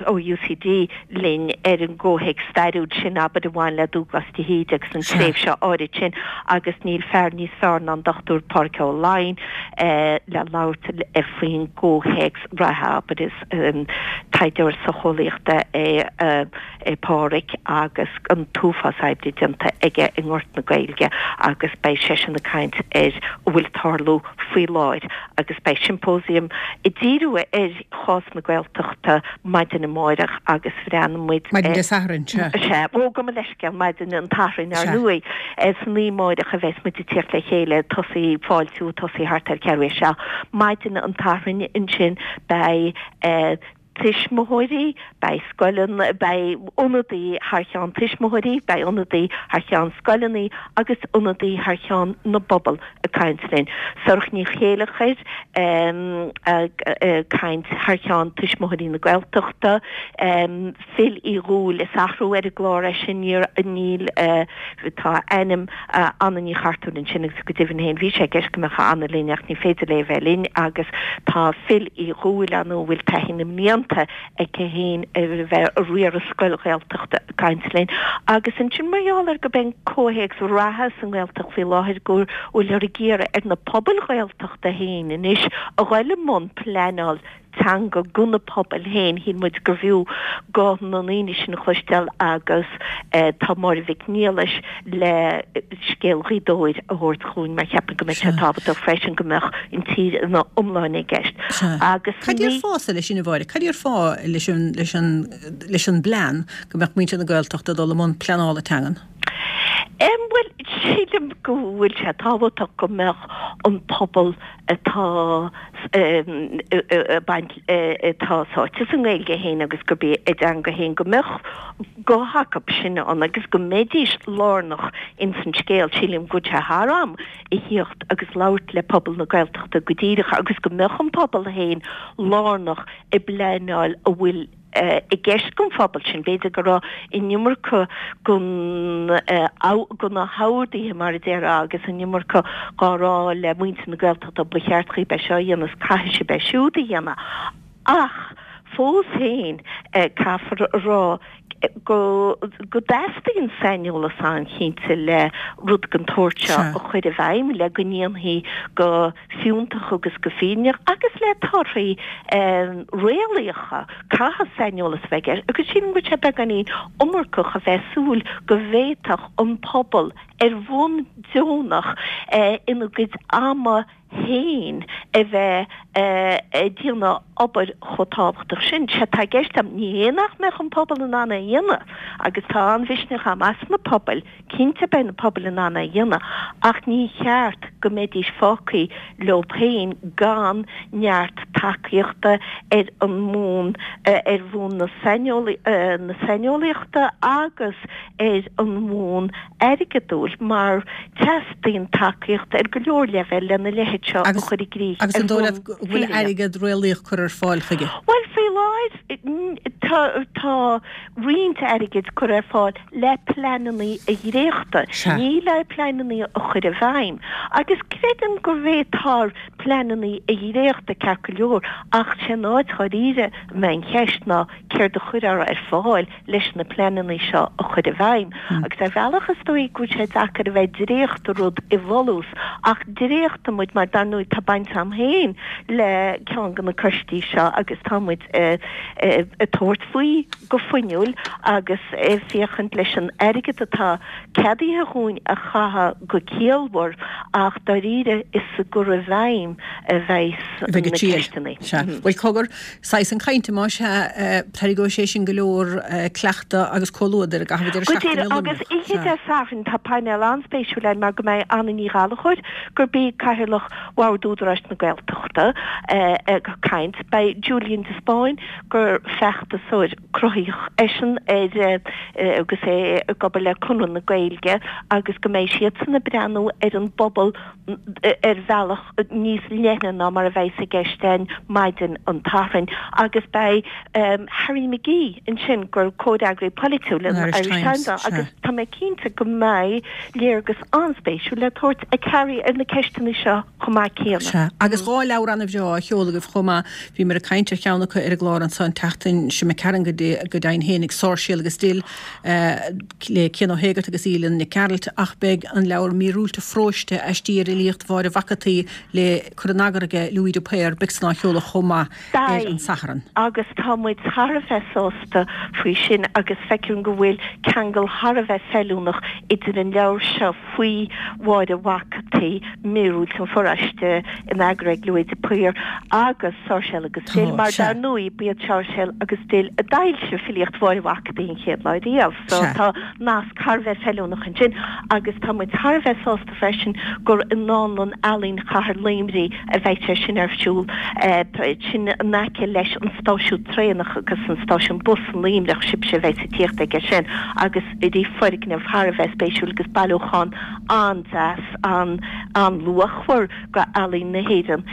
[SPEAKER 4] ó UCD linn ar an gcomhthéacs stairiúil sin, abair, a bhain le Dúglas de hÍde agus an tréimhse áirid sin agus níl fear níos fearr ná an Dochtúir Pádraig Ó Laighin le labhairt faoin gcomhthéacs reatha, abair, is taighdeoir socheolaíochta é é Pádraig agus an t-uafás oibre déanta aige i ngort na Gaeilge agus beidh seisean ag caint ar a bhfuil ag tarlú faoi láthair agus beidh siompósiam ag díriú ar chás na Gaeltachta maidin amáireach agus bhreathnaigh muid
[SPEAKER 1] Maidin Dé Sathairn, sea.
[SPEAKER 4] Sea, ó gabh mo leithscéal, maidin an tSathairn ar ndóigh. San oíche amáireach a bheas muid ag tíocht le chéile, tosaí, fáiltiú ag tosaí thart ar ceathrú théis a seacht. Maidin an tSathairn ansin beidh tuismitheoirí, beidh scoileanna, beidh ionadaí thar cheann tuismitheoirí, beidh ionadaí thar cheann scoileanna agus ionadaí thar cheann na bpobal ag caint linn. Sorcha Ní Chéilleachair ag caint thar cheann Tuismitheoirí na Gaeltachta, Phil Uí Dhúill, is athrú ar an gclár é sin, níor, níl, tá ainm Anna Ní Chartúir ansin agus go deimhin féin bhí sé i gceist go mbeadh Anna linn ach ní féidir léi a bheith linn agus tá Phil Uí Dhúill ann a bhfuil taithí na mblianta aici féin ar a bheith ag riaradh scoil Ghaeltachta ag caint linn agus ansin mar gheall ar gurb é an comhthéacs reatha sa nGaeltacht faoi láthair go bhfuilthear ag iarraidh ar na pobail Ghaeltachta féin anois a ghoil i mbun pleanáil teanga go na pobail féin, shíl muid gurbh fhiú guth na ndaoine sin a chloisteáil agus tá Máire Mhic Niallais le scéal Ghaoth Dobhair a thabhairt chugainn mar cheapaim go mbeadh sé tábhachtach freisin go mbeadh an tír ina iomláine i gceist.
[SPEAKER 1] Agus Cad é an fáth leis sin, a Mháire? Cad é an fáth leis an leis an leis an bplean go mbeadh muintir na Gaeltachta ag dul i mbun pleanála teangan?
[SPEAKER 4] Em, bhuel, sílim go bhfuil sé tábhachtach go mbeadh an pobal atá ag baint, atá sáite sa nGaeilge féin agus gurb í a dteanga féin, go mbeadh guth acu sin ann agus go mbeidís lárnach ins an scéal. Sílim go bhfuil sé thar am a thíocht agus labhairt le pobal na Gaeltachta go díreach agus go mbeadh an pobal féin lárnach i bpleanáil a bhfuil i gceist don phobal sin. B'fhéidir go raibh an iomarca gon go na horduithe, mar a déarfá, agus an iomarca dhá rá le muintir na Gaeltachta, ba cheart dhaoibh é seo a dhéanamh is caithfidh sibh é siúd a dhéanamh. Ach fós féin, caithfear a rá go go dteastaíonn saineolas an-chinnte le rud den tsórt seo a chur i bhfeidhm, le go ndéanfaí go fiúntach agus go fírinneach agus le torthaí réalaíocha. Caithfidh saineolas a bheith i gceist agus sílim go bhfuil sé beagáinín iomarcach a bheith ag súil go bhféadfadh an pobal ar bhonn deonach ina gcuid ama féin a bheith ag déanamh obair chomh tábhachtach sin. Sé atá i gceist agam, ní hé nach mbeadh an pobal in ann é a dhéanamh, agus tá an-mhisneach agam as na pobail, cinnte beidh na pobail in ann é a dhéanamh, ach ní cheart go mbeidís fágtha leo féin gan neart tacaíochta ar an mbonn, ar bhonn na saineolaíochta agus ar an mbonn airgeadúil mar teastaíonn tacaíocht ar go leor leibhéal lena leithéid seo a chur i gcrích
[SPEAKER 1] Agus an dóigh leat go bhfuil airgead réalaíoch curtha ar fáil chuige?
[SPEAKER 4] Bhuel, faoi láthair tá tá roinnt airgid curtha ar fáil le pleananna a dhréachtadh, ní le pleananna a chur i bhfeidhm. Agus creidim go bhféadfar pleananna a dhréachtadh ceart go leor ach sé an áit dháiríre a mbeidh an cheist ná céard a chuirfear ar fáil leis na pleananna seo a chur i bhfeidhm. Agus ar bhealach is dóigh go bhfuil sé deacair a bheith ag dréachtadh rud i bhfolús, ach dréachtaíonn muid mar dar ndóigh tá baint agam féin le ceann de na coistí seo agus tá muid ag tabhairt faoi go fuinniúil agus ag féachaint leis an airgead atá ceadaithe dhúinn a chaitheamh go ciallmhar ach dáiríre is sa gcur i bhfeidhm a bheas
[SPEAKER 1] na ceisteanna. Sea. Bhuel cogar, saghas an chainte más ea, tarraingeoidh sé sin go leor cleachtadh agus comhluadair i gcaitheamh an deireadh
[SPEAKER 4] Go seachtaine i díreach, agus Luimneach. oíche Dé Sathairn tá painéal an-spéisiúil ann mar go mbeidh Anna Ní Ghallchóir, gurb í Cathaoirleach Bhord Údarás na Gaeltachta, ag caint. Beidh Julian de Spáinn, gur feachtasóir cruthaíoch eisean ar agus é ag obair le Conradh na Gaeilge agus go mbeidh siadsan ag breathnú ar an bpobal ar bhealach níos leithne ná mar a bheas i gceist againn maidin an tSathairn agus beidh Harry McGee ansin gur comhfhreagraí polaitiúil an Irish Times é agus tá mé cinnte go mbeidh léargas an-spéisiúil le tabhairt ag Harry ar na ceisteanna seo chomh maith céanna.
[SPEAKER 1] Sea, agus dhá leabhar an-bhreá á sheoladh agaibh chomh maith. Bhíomar ag caint ar cheann acu ar an gclár anso an tseachtain seo imigh tharainn go deimhin fhéinig, Sáirséal agus Dill le Cian Ó hÉigeartaigh agus Aoileann Nic Gearailt ach beidh an leabhar Míorúilt an Pharóiste, Aistí ar Fhilíocht Mháire Mhac an tSaoi le cur in eagar aige Louis de Paor, beidh san á sheoladh chomh maith ar an
[SPEAKER 4] Beidh,
[SPEAKER 1] Satharn.
[SPEAKER 4] agus tá muid thar a bheith sásta faoi sin agus feicim go bhfuil ceangal thar a bheith feiliúnach idir an leabhar seo faoi Mháire Mhac an tSaoi, Míorúilt an Pharóiste, in eagar ag Louis de Paor, agus Sáirséal agus Dill,
[SPEAKER 1] Tá,
[SPEAKER 4] mar
[SPEAKER 1] sea.
[SPEAKER 4] dar ndóigh, ba iad Sáirséal agus Dill a d'fhoilsigh filíocht Mháire Mhac an tSaoi an chéad lá riamh. So
[SPEAKER 1] Sea.
[SPEAKER 4] tá nasc thar a bheith feiliúnach ansin agus tá muid thar a bheith sásta freisin gur i nDánlann Ealaíon Chathair Luimnigh a bheidh sé sin ar siúl, sin in aice leis an stáisiún traenach agus an stáisiún bus i Luimneach, sibhse a bheas ag tíocht aige sin agus bhí foirgneamh thar a bheith spéisiúil agus bailiúchán an-deas, an-luachmhar de ealaín na hÉireann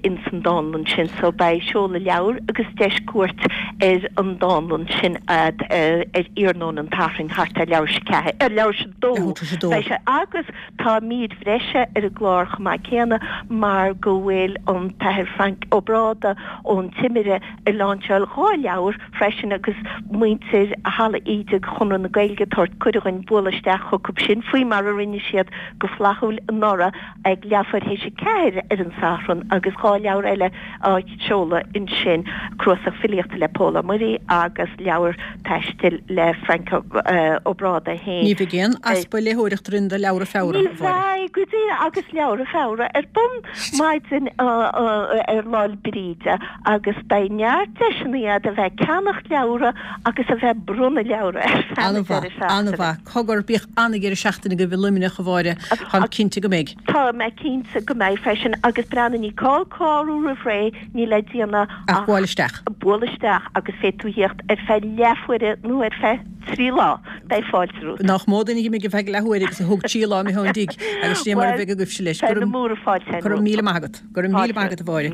[SPEAKER 4] ins an dánlann sin. So beidh seoladh leabhair agus deis cuairt ar an dánlann sin a'd ar iarnóin an tSathairn thart ar leathuair tar éis a ceathair, ar leathuair tar éis a dó beidh sé agus tá mír bhreise ar an gclár chomh maith céanna mar go bhfuil an tAthair Frank Ó Bráda ón Timire ag láinseáil dhá leabhar freisin agus muintir Halla Íde Chonradh na Gaeilge ag tabhairt cuireadh dhuinn bualadh isteach chucu sin faoi mar a rinne siad go flaithiúil anuraidh. Feabhra ag leathuair théis a ceathair ar an Satharn agus dhá leabhar eile á seoladh ansin, cnuasach filíochta le Pól Ó Muirí agus leabhar taistil le Frainc Ó Brádaigh féin.
[SPEAKER 1] Ní bheidh aon easpa léitheoireachta orainn do leabhra Feabhra,
[SPEAKER 4] a Mháire. Ní bheidh, go díreach, agus leabhra Feabhra ar bun maidin ar Lá 'le Bríde agus beidh neart deiseanna agat a bheith ag ceannacht leabhra agus a bheith ag bronnadh leabhra ar feadh na
[SPEAKER 1] deireadh seachtaine. An-mhaith. Cogar, bíodh an-dheireadh seachtaine agaibh i Luimneach, a Mháire. Táim cinnte go mbeidh.
[SPEAKER 4] Tá mé cinnte go mbeidh freisin agus breathnaigh, ní gá clárú roimh ré, níl le déanamh
[SPEAKER 1] ach buail isteach.
[SPEAKER 4] Buail isteach agus féadfaidh tú theacht ar feadh leathuaire nó ar feadh trí lá, beidh fáilte romhat.
[SPEAKER 1] Nach mó duine a d'imigh ar feadh leathuaire agus a thóg trí lá imithe ón dtigh agus sin é mar a bheidh agaibhse leis.
[SPEAKER 4] Beidh na múra fáilte
[SPEAKER 1] Go raibh míle maith agat. Go raibh míle maith agat a Mháire.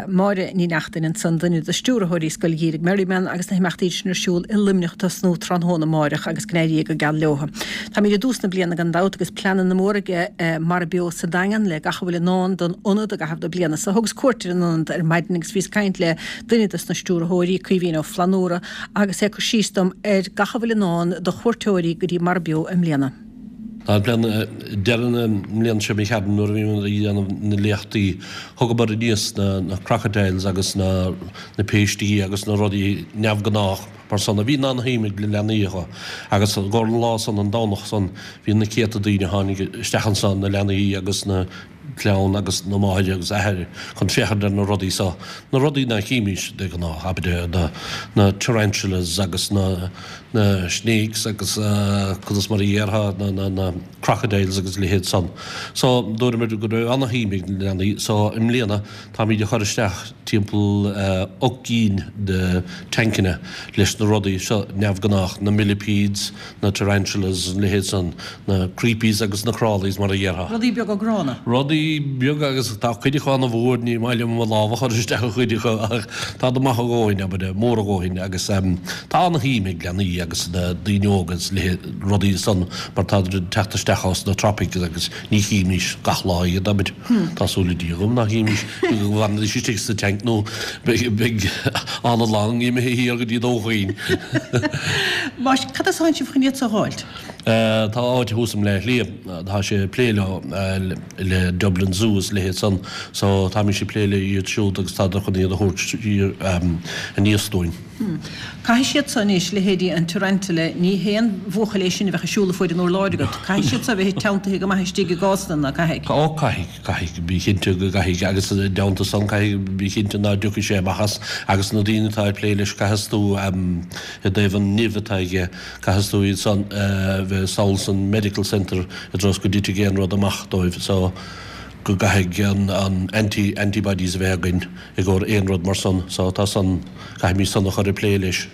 [SPEAKER 1] Máire Ní Neachtain ansan, duine de stiúrthóirí Scoil Gheimhridh Merriman agus na himeachtaí sin ar siúl i Luimneach ag tosnú tráthnóna amáireach agus go n-éirí go geal leo. Táimid i dtús na bliana gan dabht agus pleananna móra ag Mara Beo sa Daingean le gach a bhfuil i ndán don ionad i gcaitheamh na bliana so. Thugas cuairt ar an ionad ar maidin agus bhíos ag caint le duine dos na stiúrthóirí, Caoimhín Ó Flannúra, agus é ag cur síos dom ar gach a bhfuil i ndán do chuairteoirí go dtí Mara Beo i mbliana.
[SPEAKER 5] Tá plean deireadh na mbliana seo imigh tharainn nuair a bhíomar ag déanamh na léachtaí thugamar aníos na crocodiles agus na na péistí agus na rudaí neamhghnách mar san a bhí an-shuim ag na leanaí acu agus i gcomhair an lá san an Domhnach san bhí na céadta daoine a tháinig isteach ansan na leanaí agus na clann agus na máthair agus athair chun féachaint ar na rudaí so, na rudaí ná chímís de ghnáth, abair, na, na tarantulas agus na, na snakes agus conas mar a dhéarfá, na, na, na crocodiles agus a leithéid san. So, dúramar go raibh ana-shuim ag na leanaí, so i mbliana táimíd ag cur isteach timpeall ocht gcinn de tancanna leis na rudaí seo neamhghnách, na millipedes, na tarantulas, a leithéid san, na creepies agus na crawlies mar a dhéarfá.
[SPEAKER 1] Rudaí beaga gránna.
[SPEAKER 5] Rudaí beaga agus tá cuid acu ana-mhór, ní maith liom mo lámh a chur isteach i gcuid acu ach táid maith a dhóthain, abair, mór a dhóthain agus tá ana-shuim ag leanaí agus na daoine óga is leithéid rudaí san mar táid ag teacht isteach ós na tropics agus ní chímís gach lá iad, abair. Tá súil le Dia agam nach gcímís go bhfanfaidís istigh sa tank nó beidh ana-long imithe thiar go dtí Dún Chaoin.
[SPEAKER 1] Más, cad as a tháinig sibh chun iad so a dh'fháilt?
[SPEAKER 5] Tá áit thuas i mBleá Cliath, tá sé ag plé leo, le Dublin Zoo is a leithéid san, so táimís ag plé le iad siúd agus tádar chun iad a thabhairt siar aníos dúinn.
[SPEAKER 1] Caithfidh siad so anois, leithéidí an tarantula, ní haon bhuachaill é sin a bheadh ag siúl ag fuaid an urláir agat, caithfidh siad so a bheith teanntaithe go maith istigh i gcásanna, ná caithfidh?
[SPEAKER 5] Ó caithfidh, caithfidh, bí cinnte go gcaithfidh agus i dteannta san caithfidh, bí cinnte ná dtiocfaidh sé amach as agus na daoine atá ag plé leis caithfeas tú i dtaobh an nimh atá aige, caithfeas tú iad san a bheith sall san medical centre i dtreo is go dtitfidh aon rud amach dóibh so go gcaithfidh an anti antibodies a bheith againn i gcomhair aon rud mar san so tá san caithfimid san a chur ag plé leis.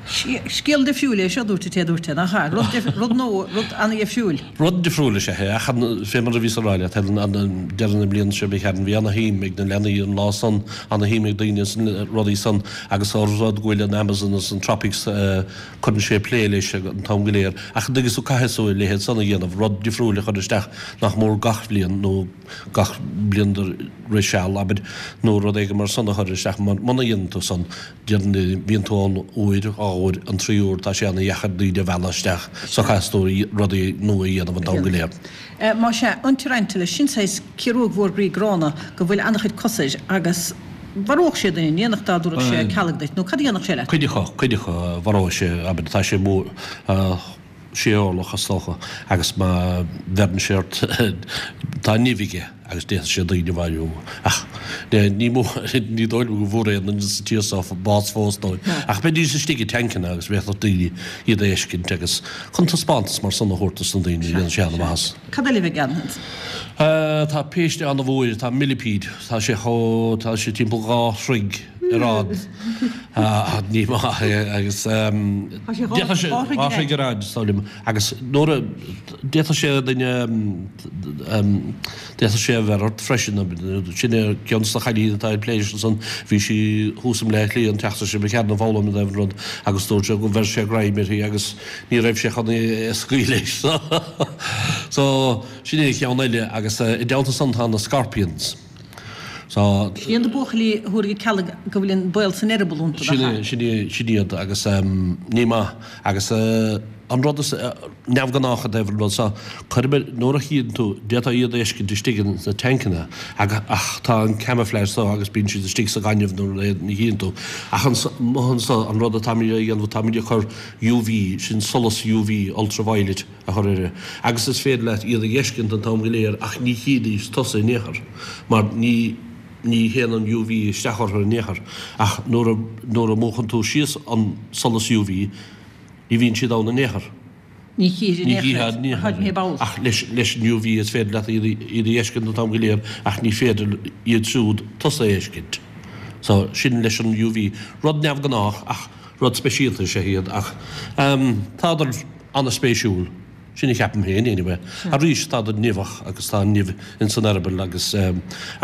[SPEAKER 1] Scéal difriúil é seo, dúirt an té a dúirt é, nach ea? Rud rud nua, rud ana-dhifriúil.
[SPEAKER 5] Rud difriúil is ea é, ach fé mar a bhíos a rá leat, Helen, an deireadh na bliana seo imigh tharainn, bhí ana-shuim ag na leanaí an lá san, ana-shuim ag daoine sna rudaí san agus ós rud go bhfuil an Amazon is an tropics, cuireann sé plé leis an t-am go léir. Ach an dtuigeann tú, caithfidh tú a leithéid san a dhéanamh, rud difriúil a chur isteach nach mór gach bhliain nó gach bliain de rith seal, abair, nó rud éigin mar san a chur isteach, mar muna dhéanann tú san, Bíonn tú ann uair, dhá uair, an tríú huair tá sé ana-dheacair daoine a mhealladh isteach so caithfidh tú rudaí nua a dhéanamh an t-am go léir.
[SPEAKER 1] Más ea, an tarantula, sin saghas ciaróg mhór groí gránna go bhfuil an-chuid cos air agus mharódh sé duine, ní dhéanfadh dá dtabharfadh sé cealg duit, nó cad a dhéanfadh sé leat?
[SPEAKER 5] Cuid acu, cuid acu, mharódh sé, abair, tá sé mór, sé orlach is dócha agus má bheireann sé ort tá nimh aige agus d'fhéadfadh sé daoine a mharú ach ní mó ní dóigh liom go bhfuair aon duine sa tír seo bás fós dóibh ach bheidís istigh i dtancanna agus bhféadfadh daoine iad a fheiscint agus chun taispeántas mar san a thabhairt dos na daoine dhéanann sé an-mhaitheas.
[SPEAKER 1] Cad eile a bheidh ann?
[SPEAKER 5] Tá péiste an-mhór, tá millipede, tá sé chomh, tá sé timpeall dhá throigh ar fhad. Ní maith é agus d'fhéadfadh sé dhá throigh ar fhad, is dóigh liom, agus nuair a d'fhéadfadh sé duine d'fhéadfadh sé a bheith ort freisin. Sin é ceann de na cailíní atá ag plé leis ansan, bhí sí thuas i mBleá Cliath an tseachtain seo imigh tharainn ag foghlaim i dtaobh an rud agus dúirt sé go bheir sé greim uirthi agus ní raibh sé chun é a scaoileadh so sin é ceann eile agus i dteannta san tá na scorpions.
[SPEAKER 1] So. Sin iad na buachaillí a thabharfaidh cealg go bhfuil an baol san eireaball iontu, nach ea?
[SPEAKER 5] Sin é, sin iad agus ní maith agus An rud is neamhghnách i dtaobh an rud seo, cuirimid, nuair a chíonn tú, d'fhéadfá iad a fheiscint istigh ins na tancanna ach tá an camouflage so agus bíonn siad istigh sa ghaineamh nuair a ní chíonn tú. Ach amuigh anso, an rud atáimid a dhéanamh, táimid ag cur UV, sin solas UV, ultraviolet, a chur air agus is féidir leat iad a fheiscint an t-am go léir ach ní chídís tusa in aon chor mar ní ní théann an UV isteach orthu in aon chor ach nuair a nuair a mhúchann tú síos an solas UV, Ní bhíonn siad ann in aon chor.
[SPEAKER 1] Ní chífir in aon chor iad, ach ní ball.
[SPEAKER 5] Ach leis an UV is féidir leat iad a fheiscint an t-am go léir ach ní féidir iad siúd tusa a fheiscint. So, sin leis an UV. Rud neamhghnách ach rud speisialta is ea iad ach tádar an-spéisiúil. Sin a cheapaim féin, anyway. Arís, tádar nimheach agus tá an nimh ins an eireaball agus,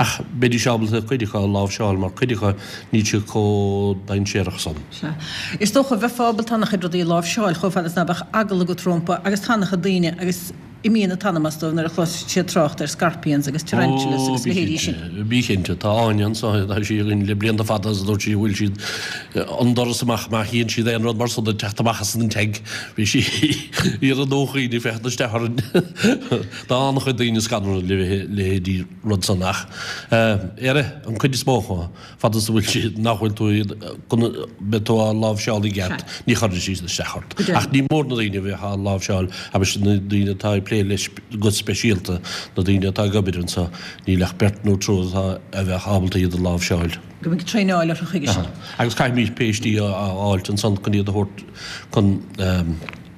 [SPEAKER 5] ach beidís ábalta cuid acu a láimhseáil mar cuid acu níl siad chomh dainséarach san.
[SPEAKER 1] Sea. Is dócha, bheifeá ábalta an-chuid rudaí a láimhseáil chomh fada is ná beadh eagla agat rompu agus tá an-chuid daoine agus imíonn an t-anam as dóibh nuair a chloiseann siad trácht ar scorpions agus tarantulas agus leithéidí sin.
[SPEAKER 5] Ó, bí cinnte, tá Áine anso, tá sí againn le blianta fada agus dúirt sí go bhfuil siad an doras amach má chíonn siad aon rud mar san ag teacht amach as an tanc, bhí sí ar an ndóchaín ag féachaint isteach orainn. Tá an-chuid daoine scanraithe le leithéidí rud san ach ar an cuid is mó acu, fad is a bhfuil siad, nach bhfuil tú iad, go mbeidh tú á láimhseáil i gceart, ní chuirfidh siad isteach ort. Ach ní mór na daoine a bheith á láimhseáil agus na daoine atá ag plé leis go speisialta, na daoine atá ag obair anseo, níl ach beirt nó triúr atá, a bheadh ábalta iad a láimhseáil.
[SPEAKER 1] Go mbeidh traenáil orthu chuige sin.
[SPEAKER 5] Agus caithfimid péistí a fháilt ansan chun iad a thabhairt chun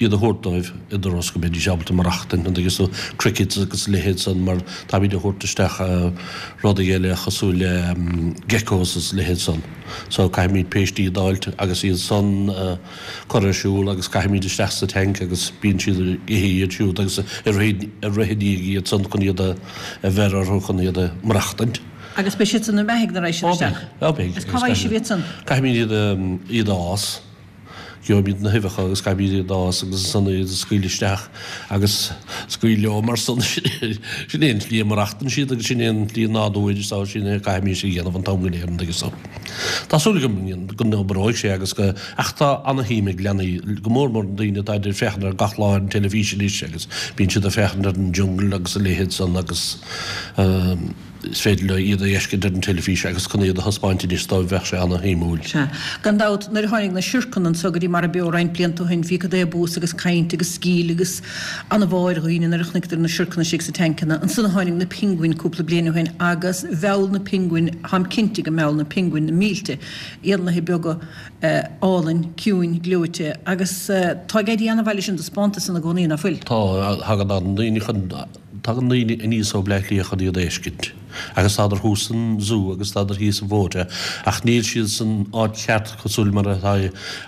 [SPEAKER 5] iad a thabhairt dóibh i dturas go mbeidís ábalta maireachtaint, an dtuigeann tú, crickets agus a leithéid san mar táimid a thabhairt isteach rudaí eile cosúil le geckos is a leithéid san. So caithfimid péistí a d'fháilt agus iad san a cur ar siúl agus caithfimid isteach sa tank agus bíonn siad ag ithe iad siúd agus ag rith i ndiaidh iad san chun iad a bheir orthu chun iad a maireachtaint.
[SPEAKER 1] Agus beidh siad san ina mbeathaidh nuair a raghaidh siad isteach.
[SPEAKER 5] Ó beidh, ó beidh.
[SPEAKER 1] Agus cá bhfaighidh sibh iad san?
[SPEAKER 5] Caithfimid iad iad a fhás. Gheobhaimid na huibheacha agus caithfimid iad a fhás agus ansan iad a scaoileadh isteach agus scaoil leo mar san. Sin é an tslí a maireachtann siad agus sin é an tslí nádúir so sin é a caithfimid a dhéanamh an t-am go léir an dtuigeann tú. Tá súil agam go n-oibreoidh sé agus go, ach tá ana-shuim ag leanaí, go mór mór na daoine atá ag féachaint ar gach lá ar an teilifís anois agus bíonn siad ag féachaint ar an jungle agus a leithéid san agus Is féidir leo iad a fheiscint ar an teilifís agus chun iad a thaispeáint anois dóibh bheadh sé ana-shuimiúil.
[SPEAKER 1] Sea. Gan dabht, nuair a tháinig na siorcanna anso go dtí Mara Beo roinnt blianta ó shin, bhí cad é bús agus caint agus sceall agus ana-bháire ar dhaoine nuair a chonaiceadar na siorcanna istigh sa tancanna. Ansan a tháinig na pinguin cúpla bliain ó shin agus mheall na pinguin, táim cinnte go mheall na pinguin na mílte éanlaithe beaga álainn, ciúin, gleoite agus tá ag éirí ana-mhaith leis an dtaispeántas san i gcónaí, ná fuil?
[SPEAKER 5] Tá, thagann an-daoine chun. Tagann daoine aníos ó Bleá Cliath chun iad a fheiscint. Agus tádar thuas san zú agus tádar thíos i bhFóta ach níl siad san áit cheart cosúil mar atá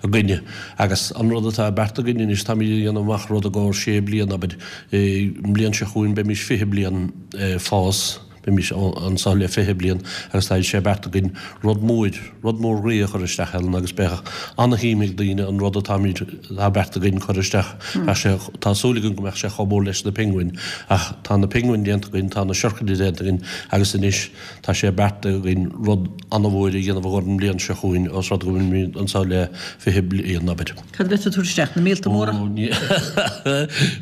[SPEAKER 5] againne. Agus an rud atá beartaithe againn anois, táimid ag déanamh amach rud i gcomhair sé bliana, abair, an bhliain seo chugainn beimís fiche bliain ag fás. Beimís anso le fiche bliain agus tá sé beartaithe againn rud mór, rud mór groí a chur isteach Helen agus beidh ana-shuim ag daoine an rud atáimid, atá beartaithe againn cur isteach. Bheadh sé, tá súil againn go mbeadh sé chomh mór leis na pinguin ach tá na pinguin déanta againn, tá na siorcanna déanta againn agus anois tá sé beartaithe againn rud ana-mhór a dhéanamh i gcomhair an bhliain seo chugainn os rud go bhfuilimid anso le fiche bliain, abair.
[SPEAKER 1] Cad a bheas tú ag tabhairt isteach? Na míolta móra?
[SPEAKER 5] Ó, ní,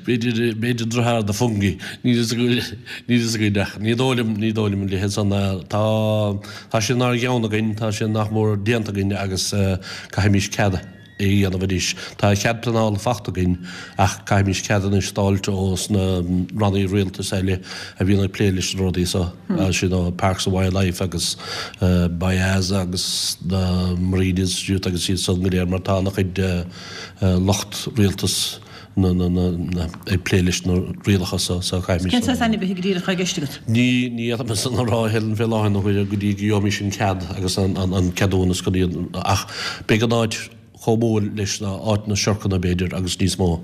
[SPEAKER 5] b'fhéidir, b'fhéidir deartháir do Fungie. Níl fhios againn, níl fhios againn ach ní dóigh liom, ní dóigh liom a leithéid san. Tá, tá sé inár gceann againn, tá sé nach mór déanta againn agus caithfimís cead a dhéanamh anois. Tá cead pleanála fachta againn ach caithfimís cead anois d'fháilt ós na rannaí rialtais eile a bhíonn ag plé leis na rudaí so. Sin ó Parks and Wildlife agus BIAS agus na Marine Institute agus iad san go léir mar tá ana-chuid lucht rialtas na ag plé leis na rialacha so so caithfimid
[SPEAKER 1] Cén saghas ainmhithe go díreach atá i gceist agat?
[SPEAKER 5] Ní ní fhéadfainn san a rá a Helen fé láthair na huaire go dtí go gheobhaimis an cead agus an ceadúnas chun iad ach beidh an áit chomh mór leis na áit na siorcanna b'fhéidir agus níos mó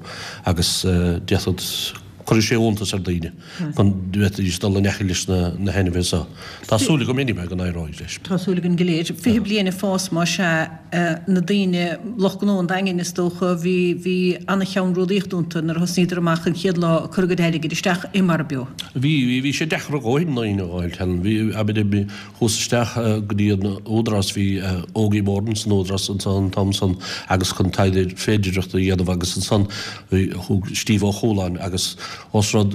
[SPEAKER 5] agus d'fhéadfadh Cuirfidh sé iontas ar daoine chun bhféadfaidís dul in aice leis na hainmhithe seo. Tá súil agam anyway go n-éireoidh leis.
[SPEAKER 1] Tá súil againn go léir. Fiche bliain ag fás más ea, na daoine, lucht gnó an Daingin is dócha, bhí, bhí ana-cheannródaíocht iontu nuair a thosnaíodar amach an chéad lá ag cur a gcuid airgid isteach i Mara Beo.
[SPEAKER 5] Bhí, bhí, bhí sé deacair a dhóthain daoine a fháil, Helen. Bhí, abair, bhí, chuas isteach go dtí an Údarás, bhí Ogie Moran san Údarás ansan an t-am san agus chun taighde féidireachta a dhéanamh agus ansan bhí, thug Steve Ó Cualáin agus Ós rud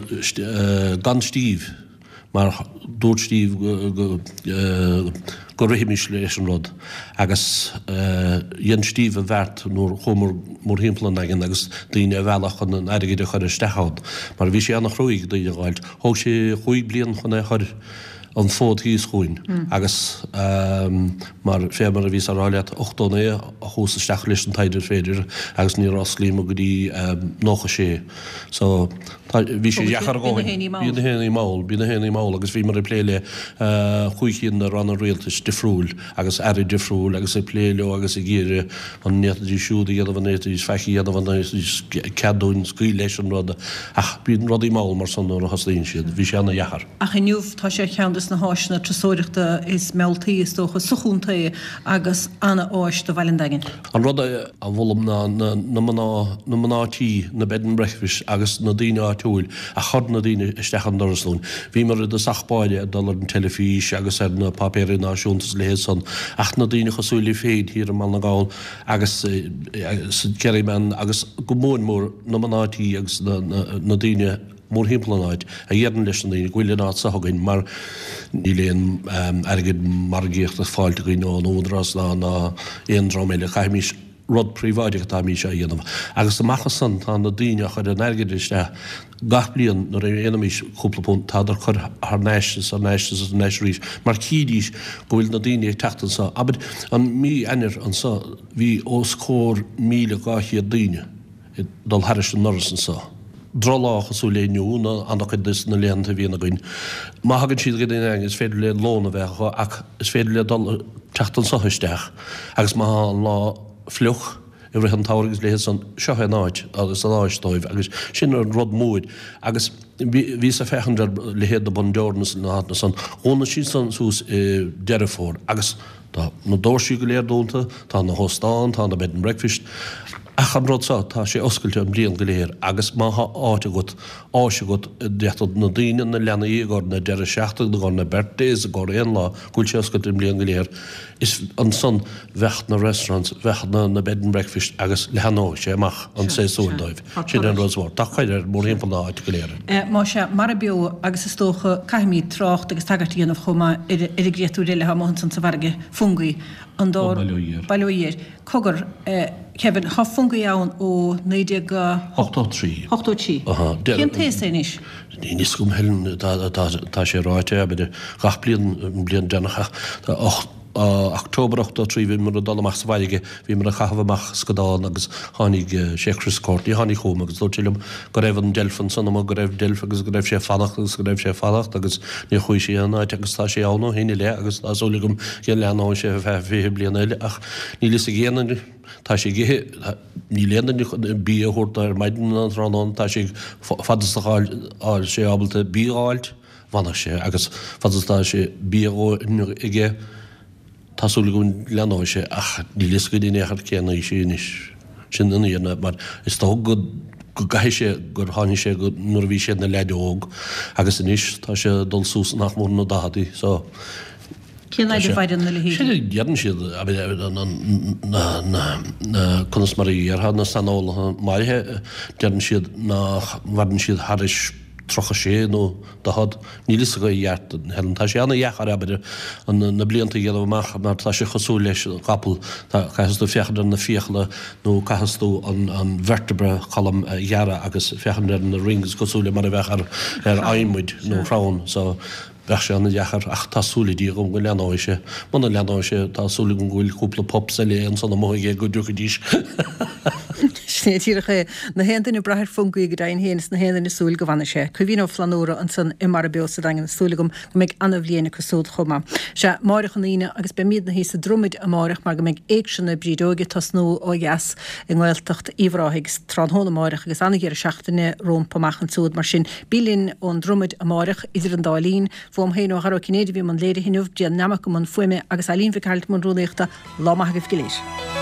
[SPEAKER 5] gan Steve, mar dúirt Steve go rithfimis leis an rud agus dhein Steve an bheart nuair chuamar mórthimpeall an Daingin agus daoine a mhealladh chun an airgid a chur isteach ann mar bhí sé an-chruaidh daoine a dh'fháilt. Thóg sé chúig bliain chun é a chur an fód thíos chugainn agus mar fé mar a bhíos á rá leat, ochtó naoi a chuas isteach leis an taighde féidir agus níor osclaíomar go dtí nócha sé. So tá, bhí sé deacair a dhóthain. Bhí na héinní mall, bhí na héinní mall agus bhíomar ag plé le chúig cinn de ranna rialtais difriúil agus airí difriúil agus ag plé leo agus ag iarraidh an bhféadfaidís siúd a dhéanamh, an bhféadfaidís faic a dhéanamh, an bhféadfaidís cead dúinn scaoileadh leis an rud ach bíonn rudaí mall mar san nuair a thosnaíonn siad. Bhí sé ana-dheacair.
[SPEAKER 1] Ach inniu tá sé ar cheann de na háiseanna turasóireachta is mealltaí, is dócha, sa chontae agus ana-áis do bhaile an Daingin.
[SPEAKER 5] An rud a mholaim ná na mná, na mná tí, na bed and breakfast agus na daoine áitiúil a chur na daoine isteach an doras dúinn. Bhíomar i dtosach báire ag dul ar an teilifís agus ar na páipéirí náisiúnta is a leithéid san ach na daoine cosúil libh féin thiar i mBaile na nGall agus sa Kerryman agus go mór mór na mná tí agus na daoine mórthimpeall an áit, a dheireann leis na daoine go bhfuil an áit seo againn mar níl aon airgead margaíochta fáilte againn ón Údarás ná ná aon dream eile. Caithfimís rud príobháideach atáimís á dhéanamh. Agus amach as san tá na daoine a chuir an airgead isteach gach bliain nuair a dhéanaimís cúpla punt tádar cur thar n-ais is thar n-ais is thar n-ais arís mar chídís go bhfuil na daoine ag teacht anso. Abair an mí Eanáir anso bhí os comhair míle dhá chéad daoine. ag dul thairis an ndoras anso. Drochlá cosúil le inniu nó an-chuid de na laethanta a bhíonn againn. Má thagann siad go dtí an Daingean is féidir le lón a bheith acu ach is féidir le dul teacht anso isteach agus má tá an lá fliuch i rith an tsamhraidh agus leithéid san, seo é an áit agus an áis dóibh agus sin an rud mór agus bhíos ag féachaint ar leithéid de Bundoran is na háiteanna san, dhúnann siad san suas i Deireadh Fómhair agus tá na doirsí go léir dúnta, tá na hóstáin, tá na bed and breakfast. Ach an rud seo, tá sé oscailte an bhliain go léir agus má thá áit agat, áis agat, d'fhéadfadh na daoine, na leanaí i gcomhair na deireadh seachtaine, i gcomhair na birthdays, i gcomhair aon lá, go bhfuil sé oscailte an bhliain go léir, is ansan bheadh na restaurants, bheadh na na bed and breakfast agus leathnódh sé amach an séasúr dóibh. Sin an rud mór. Tá cur air mórthimpeall na háite go léir.
[SPEAKER 1] Más ea, Mara Beo agus is dócha caithfimid trácht agus tagairt a dhéanamh chomh maith ar ar an gcréatúr eile atá amuigh ansan sa bhfarraige, Fungie. An dá.
[SPEAKER 5] Bail ó Dhia air.
[SPEAKER 1] Bail ó Dhia air. Cogar, Kevin, tá Fungie ann ó naoi déag.
[SPEAKER 5] ochtó trí.
[SPEAKER 1] ochtó trí.
[SPEAKER 5] Aha.
[SPEAKER 1] Cén t-aos é anois?
[SPEAKER 5] Níl fhios agam, Helen, tá sé ráite, abair, gach bliain, an bliain deireanach ach October ochtó trí bhíomar ag dul amach sa bhfarraige, bhíomar ag caitheamh amach scadán agus tháinig sé Chris Courtney, tháinig chugam agus dúirt sé liom go raibh an deilf ansan amuigh, go raibh deilf agus go raibh sé ag fanacht agus go raibh sé ag fanacht agus níor chuaigh sé aon áit agus tá sé ann ó shin i leith agus tá súil agam go leathnóidh sé ar feadh fiche bliain eile ach níl fhios ag aon duine, tá sé ag ithe, níl aon duine chun bia a thabhairt dó ar maidin ná tráthnóna, tá sé ag, fad is atá sé ábalta bia a fháilt, fanfaidh sé agus fad is atá sé bia a dhóthain aige, tá súil agam go leathnóidh sé ach níl fhios againn in aon chor cén aois é anois. Sin an fhírinne mar is dócha go go gcaithfidh sé gur tháinig sé go nuair a bhí sé ina leaid óg agus anois tá sé ag dul suas nach mór na daicheadaí so
[SPEAKER 1] Cén fhaid a mhaireann na leithéidí?
[SPEAKER 5] Sin a deireann siad na na na conas mar a dhéarfá na saineolaithe maraithe deireann siad nach mhaireann siad thairis tríocha sé nó daichead, níl fhios acu i gceart, Helen. Tá sé ana-dheacair, abair, na blianta a dhéanamh amach mar tá sé cosúil leis an gcapall, caithfeas tú féachaint ar na fiacla nó caithfeas tú an vertebra column a ghearradh agus féachaint ar na rings cosúil le mar a bheadh ar adhmaid nó crann. So, bheadh sé ana-dheacair ach tá súil ag Dia agam go leathnóidh sé. Muna leathnóidh sé, tá súil agam go bhfuil cúpla pups eile ansan amuigh aige go dtiocfaidís.
[SPEAKER 1] Sin é díreach é. Ná haon duine ag brath ar phuncaí go deimhin féin is ná haon duine ag súil go bhfanfaidh sé. Caoimhín Ó Flannúra ansan i Mara Beo sa Daingean. Is súil agam go mbeidh ana-bhliain acu súd chomh maith. Sea, amáireach an Aoine agus beimídne thíos sa Dromaid amáireach mar go mbeidh Éigse na Brídeoige ag tosnú ó dheas i nGaeltacht Uíbh Ráthaigh tráthnóna amáireach agus ana-dheireadh seachtaine rómpa amach ansúd. Mar sin, bí linn ón Dromaid amáireach idir an dá linn. Fúm féin ó Dhara Ó Cinnéide a bhí i mbun léirithe inniu, Brian Nammock i mbun fuaime agus Eileen Mhic Gearailt i mbun rúnaíochta. Lá maith agaibh go léir.